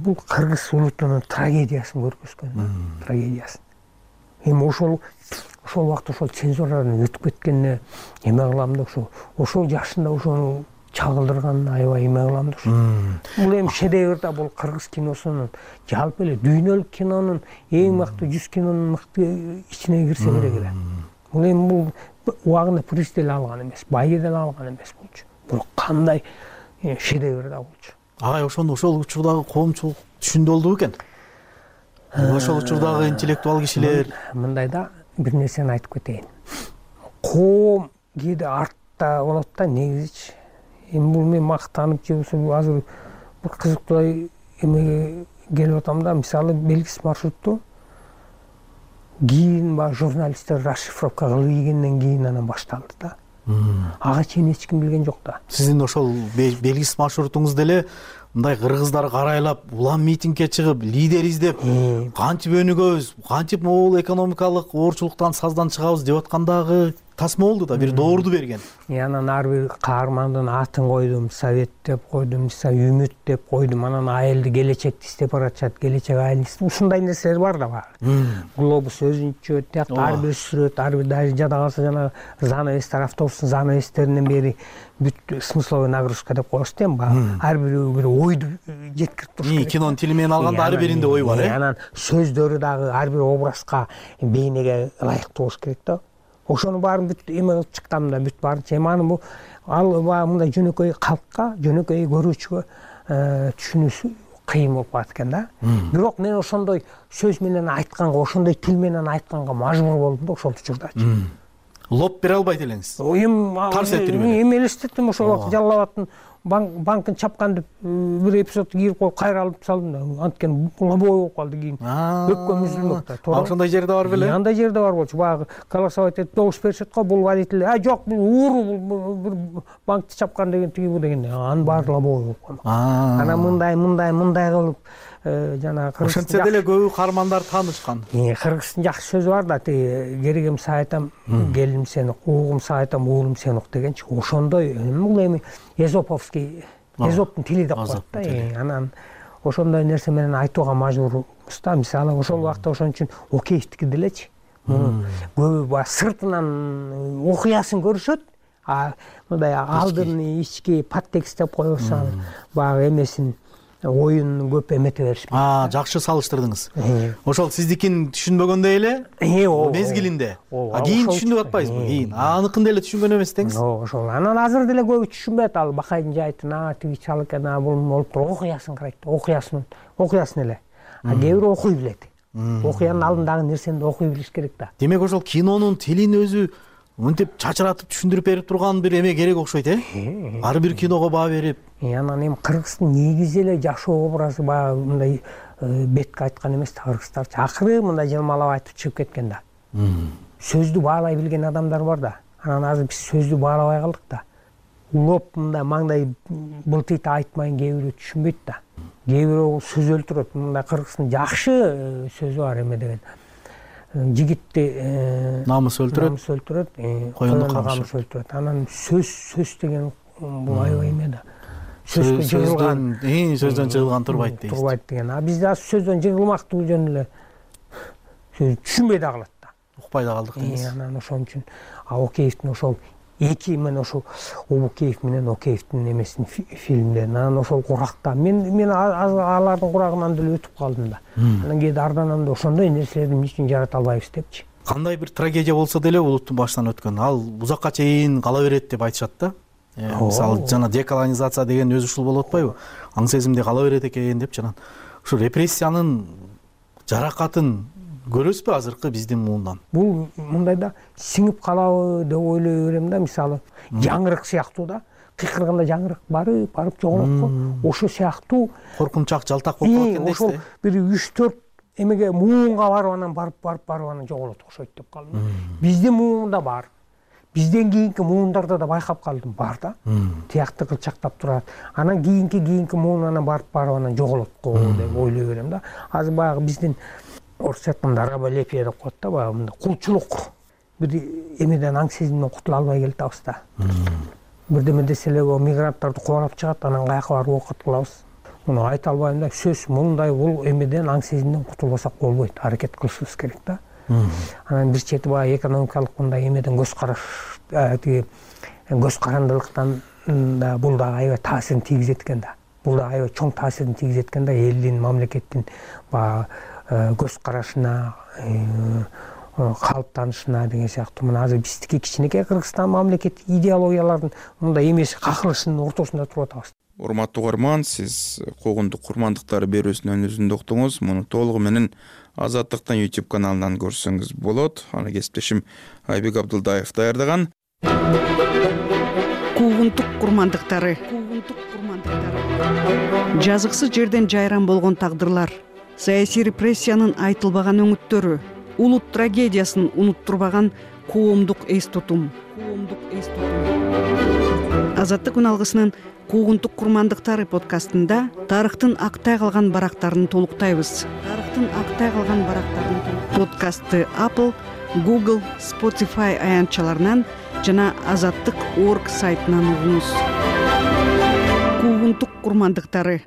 бул кыргыз улутунун трагедиясын көргөзгөн, трагедиясын. Эми ошол ошол убакта ошол цензурадан өтүп кеткенине эме кылам да, ошо ошол жашында ошону чагылдырганына аябай эме кылам да. Бул эми шедевр да, бул кыргыз киносунун, жалпы эле дүйнөлүк кинонун эң мыкты жүз кинонун мыкты ичине кирсе керек эле. Бул эми бул убагында приз деле алган эмес, байы деле алган эмес болчу. Бул кандай шедевр да болчу. Агай, ошону ошол учурдагы коомчулук түшүндү экен. Ошол учурдагы интеллектуал кишилер мындай да, бир нерсени айтып кетейин. Коом кээде артта болот да, негизичи. Эми бул мен мактанып же болбосо азыр бир кызыктуу эмеге келип атам да, мисалы Белгис маршрутту кийин баягы журналисттер расшифровка кылып ийгенден кийин анан башталды да. ага чейин эч ким билген жок да. Сиздин ошол белгисиз маршрутуңуз деле мындай кыргыздар карайлап улам митингге чыгып лидер издеп кантип өнүгөбүз, кантип могул экономикалык оорчулуктан саздан чыгабыз деп аткандагы тасма болду да, бир доорду берген. Анан ар бир каармандын атын койдум, совет деп койдум, үмүт деп койдум. Анан айылды келечекти издеп баратышат, келечек айылын. Ушундай нерселер бар да баягы. Глобус өзүнчө тиякта ар бир сүрөт, ар бир даже жада калса жана занавестер, автобустун занавестеринен бери бүт смысловой нагрузка деп коебуз да эми баягы. Ар бирөө бир ойду жеткирип туруш керек. Кинонун тили менен алганда ар биринде ой бар, э? Анан сөздөрү дагы ар бир образга, бейнеге ылайыктуу болуш керек да. Ошонун баарын бүт эме кылып чыккам да, бүт баарынча. Эми аны бул ал баягы мындай жөнөкөй калкка, жөнөкөй көрүүчүгө түшүнүүсү кыйын болуп калат экен да. Бирок мен ошондой сөз менен айтканга, ошондой тил менен айтканга мажбур болдум да ошол учурдачы. Лоп бере албайт элеңиз. Эми тарс этирбей. Эми элестеттим ошол убакта Жалал Абадтын банкын чапкан деп бир эпизодду кийип коюп кайра алып салдым да. Анткени лобой болуп калды кийин. Өпкөм үзүлмөк да. Ошондой жерде бар беле? Андай жерде бар болчу. Баягы голосовать этип добуш беришет го, бул водитель, а жок, бул ууру, бир банкты чапкан деген тиги бу деген. Анын баары лобой болуп калды. Анан мындай, мындай, мындай кылып жана ошентсе деле көбү каармандар таанышкан. Кыргыздын жакшы сөзү бар да, тиги керегим сага айтам, келиним сени ук, угум сага айтам, уулум сени ук дегенчи. Ошондой бул эми эзоповский, эзоптун тили деп коет да. Анан ошондой нерсе менен айтууга мажбурбуз да. Мисалы ошол убакта ошон үчүн Океевдики делечи. Көбү баягы сыртынан окуясын көрүшөт, а мындай алдын ички подтекст деп коебуз, баягы эмесин оюн көп эмете беришпейт. А, жакшы салыштырдыңыз. Ошол сиздикин түшүнбөгөндөй эле мезгилинде. А кийин түшүнүп атпайсызбы? Кийин аныкын деле түшүнгөн эмес деңиз. Ошол. Анан азыр деле көбү түшүнбөйт. Ал Бакайдын жайтын, а тиги чал экен, а бул болуп туруп окуясын карайт. Окуясын, окуясын эле. А кээ бирөө окуй билет. Окуянын алдындагы нерсени да окуй билиш керек да. Демек ошол кинонун тилин өзү мынтип чачыратып түшүндүрүп берип турган бир эме керек окшойт, э? Ар бир киного баа берип. Анан эми Кыргыздын негизи эле жашоо образы баягы мындай бетке айткан эмес да, кыргыздарчы акыры мындай жылмалап айтып чыгып кеткен да. Сөздү баалай билген адамдар бар да. Анан азыр биз сөздү баалабай калдык да. Улоп мындай маңдай былтыйт айтмайын кээ бирөө түшүнбөйт да. Кээ бирөө сөз өлтүрөт. Мындай Кыргыздын жакшы сөзү бар эме деген. Жигитти намыс өлтүрөт, намыс өлтүрөт, коюнду камыш өлтүрөт. Анан сөз сөз деген бул аябай эме да. Сөзгө жыгылган, сөздөн жыгылган турбайт дейсиз. Турбайт деген. А бизде азыр сөздөн жыгылмактуу жөн эле сөз түшүнбөй да калат да. Укпай да калдык дейсиз. Анан ошон үчүн Океевдин ошол эки мен ошол Обукеев менен Океевдин эмесин фильмдерин анан ошол куракта мен мен алардын курагынан деле өтүп калдым да. Анан кээде арданам да ошондой нерселерди эмне үчүн жарата албайбыз депчи. Кандай бир трагедия болсо деле улуттун башынан өткөн, ал узакка чейин кала берет деп айтышат да. Мисалы жана деколонизация деген өзү ушул болуп атпайбы? Аң сезимде кала берет экен деп жана ушу репрессиянын жаракатын көрөсүзбү азыркы биздин муундан? Бул мындай да сиңип калабы деп ойлой берем да. Мисалы жаңырык сыяктуу да. Кыйкырганда жаңырык барып, барып жоголот го. Ошо сыяктуу коркунчак, жалтак болуп калат экен дейсиз. Ошол бир үч төрт эмеге муунга барып анан барып барып барып анан жоголот окшойт деп калдым. Биздин муунда бар. Бизден кийинки муундарда да байкап калдым, бар да. Тиякты кылчактап турат. Анан кийинки кийинки муун анан барып барып анан жоголот го деп ойлой берем да. Азыр баягы биздин орусча айтканда раболепие деп коет да, баягы мындай кулчулук бир эмеден аң сезимден кутула албай келатабыз да. Бирдеме десе эле мигранттарды кубарап чыгат, анан каяка барып окут кылабыз. Муну айта албайм да. Сөз мындай бул эмеден аң сезимден кутулбасак болбойт. Аракет кылышыбыз керек да. Анан бир чети баягы экономикалык мындай эмеден көз караш, тиги көз карандылыктан да бул да аябай таасирин тийгизет экен да. Бул да аябай чоң таасирин тийгизет экен да элдин, мамлекеттин баягы көз карашына, калыптанышына деген сыяктуу. Мына азыр биздики кичинекей Кыргызстан мамлекет идеологиялардын мындай эмеси какылышынын ортосунда туруп атабыз. Урматтуу угарман, сиз Когундук курмандыктары берүүсүнүн өзүндө уктуңуз. Муну толугу менен Азаттыктын YouTube каналынан көрсөңүз болот. Аны кесиптешим Айбек Абдылдаев даярдаган. Когундук курмандыктары. Когундук курмандыктары. Жазыксыз жерден жайран болгон тагдырлар, саясий репрессиянын айтылбаган өңүттөрү, улут трагедиясын унуттурбаган коомдук эс тутум. Коомдук эс тутум. Азаттык үн алгысынын куугунтук курмандыктары подкастында тарыхтын актай калган барактарын толуктайбыз. Тарыхтын актай калган барактарын подкастты Apple, Google, Spotify аянтчаларынан жана азаттык точка орг сайтынан угуңуз. Куугунтук курмандыктары.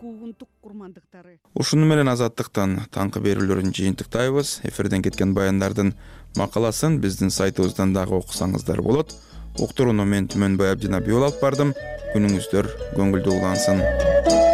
Ушуну менен азаттыктан таңкы берүүлөрүн жыйынтыктайбыз. Эфирден кеткен баяндардын макаласын биздин сайтыбыздан дагы окусаңыздар болот. Уктурууну мен Түмөнбай Абдина алып бардым. Күнүңүздөр көңүлдүү улансын.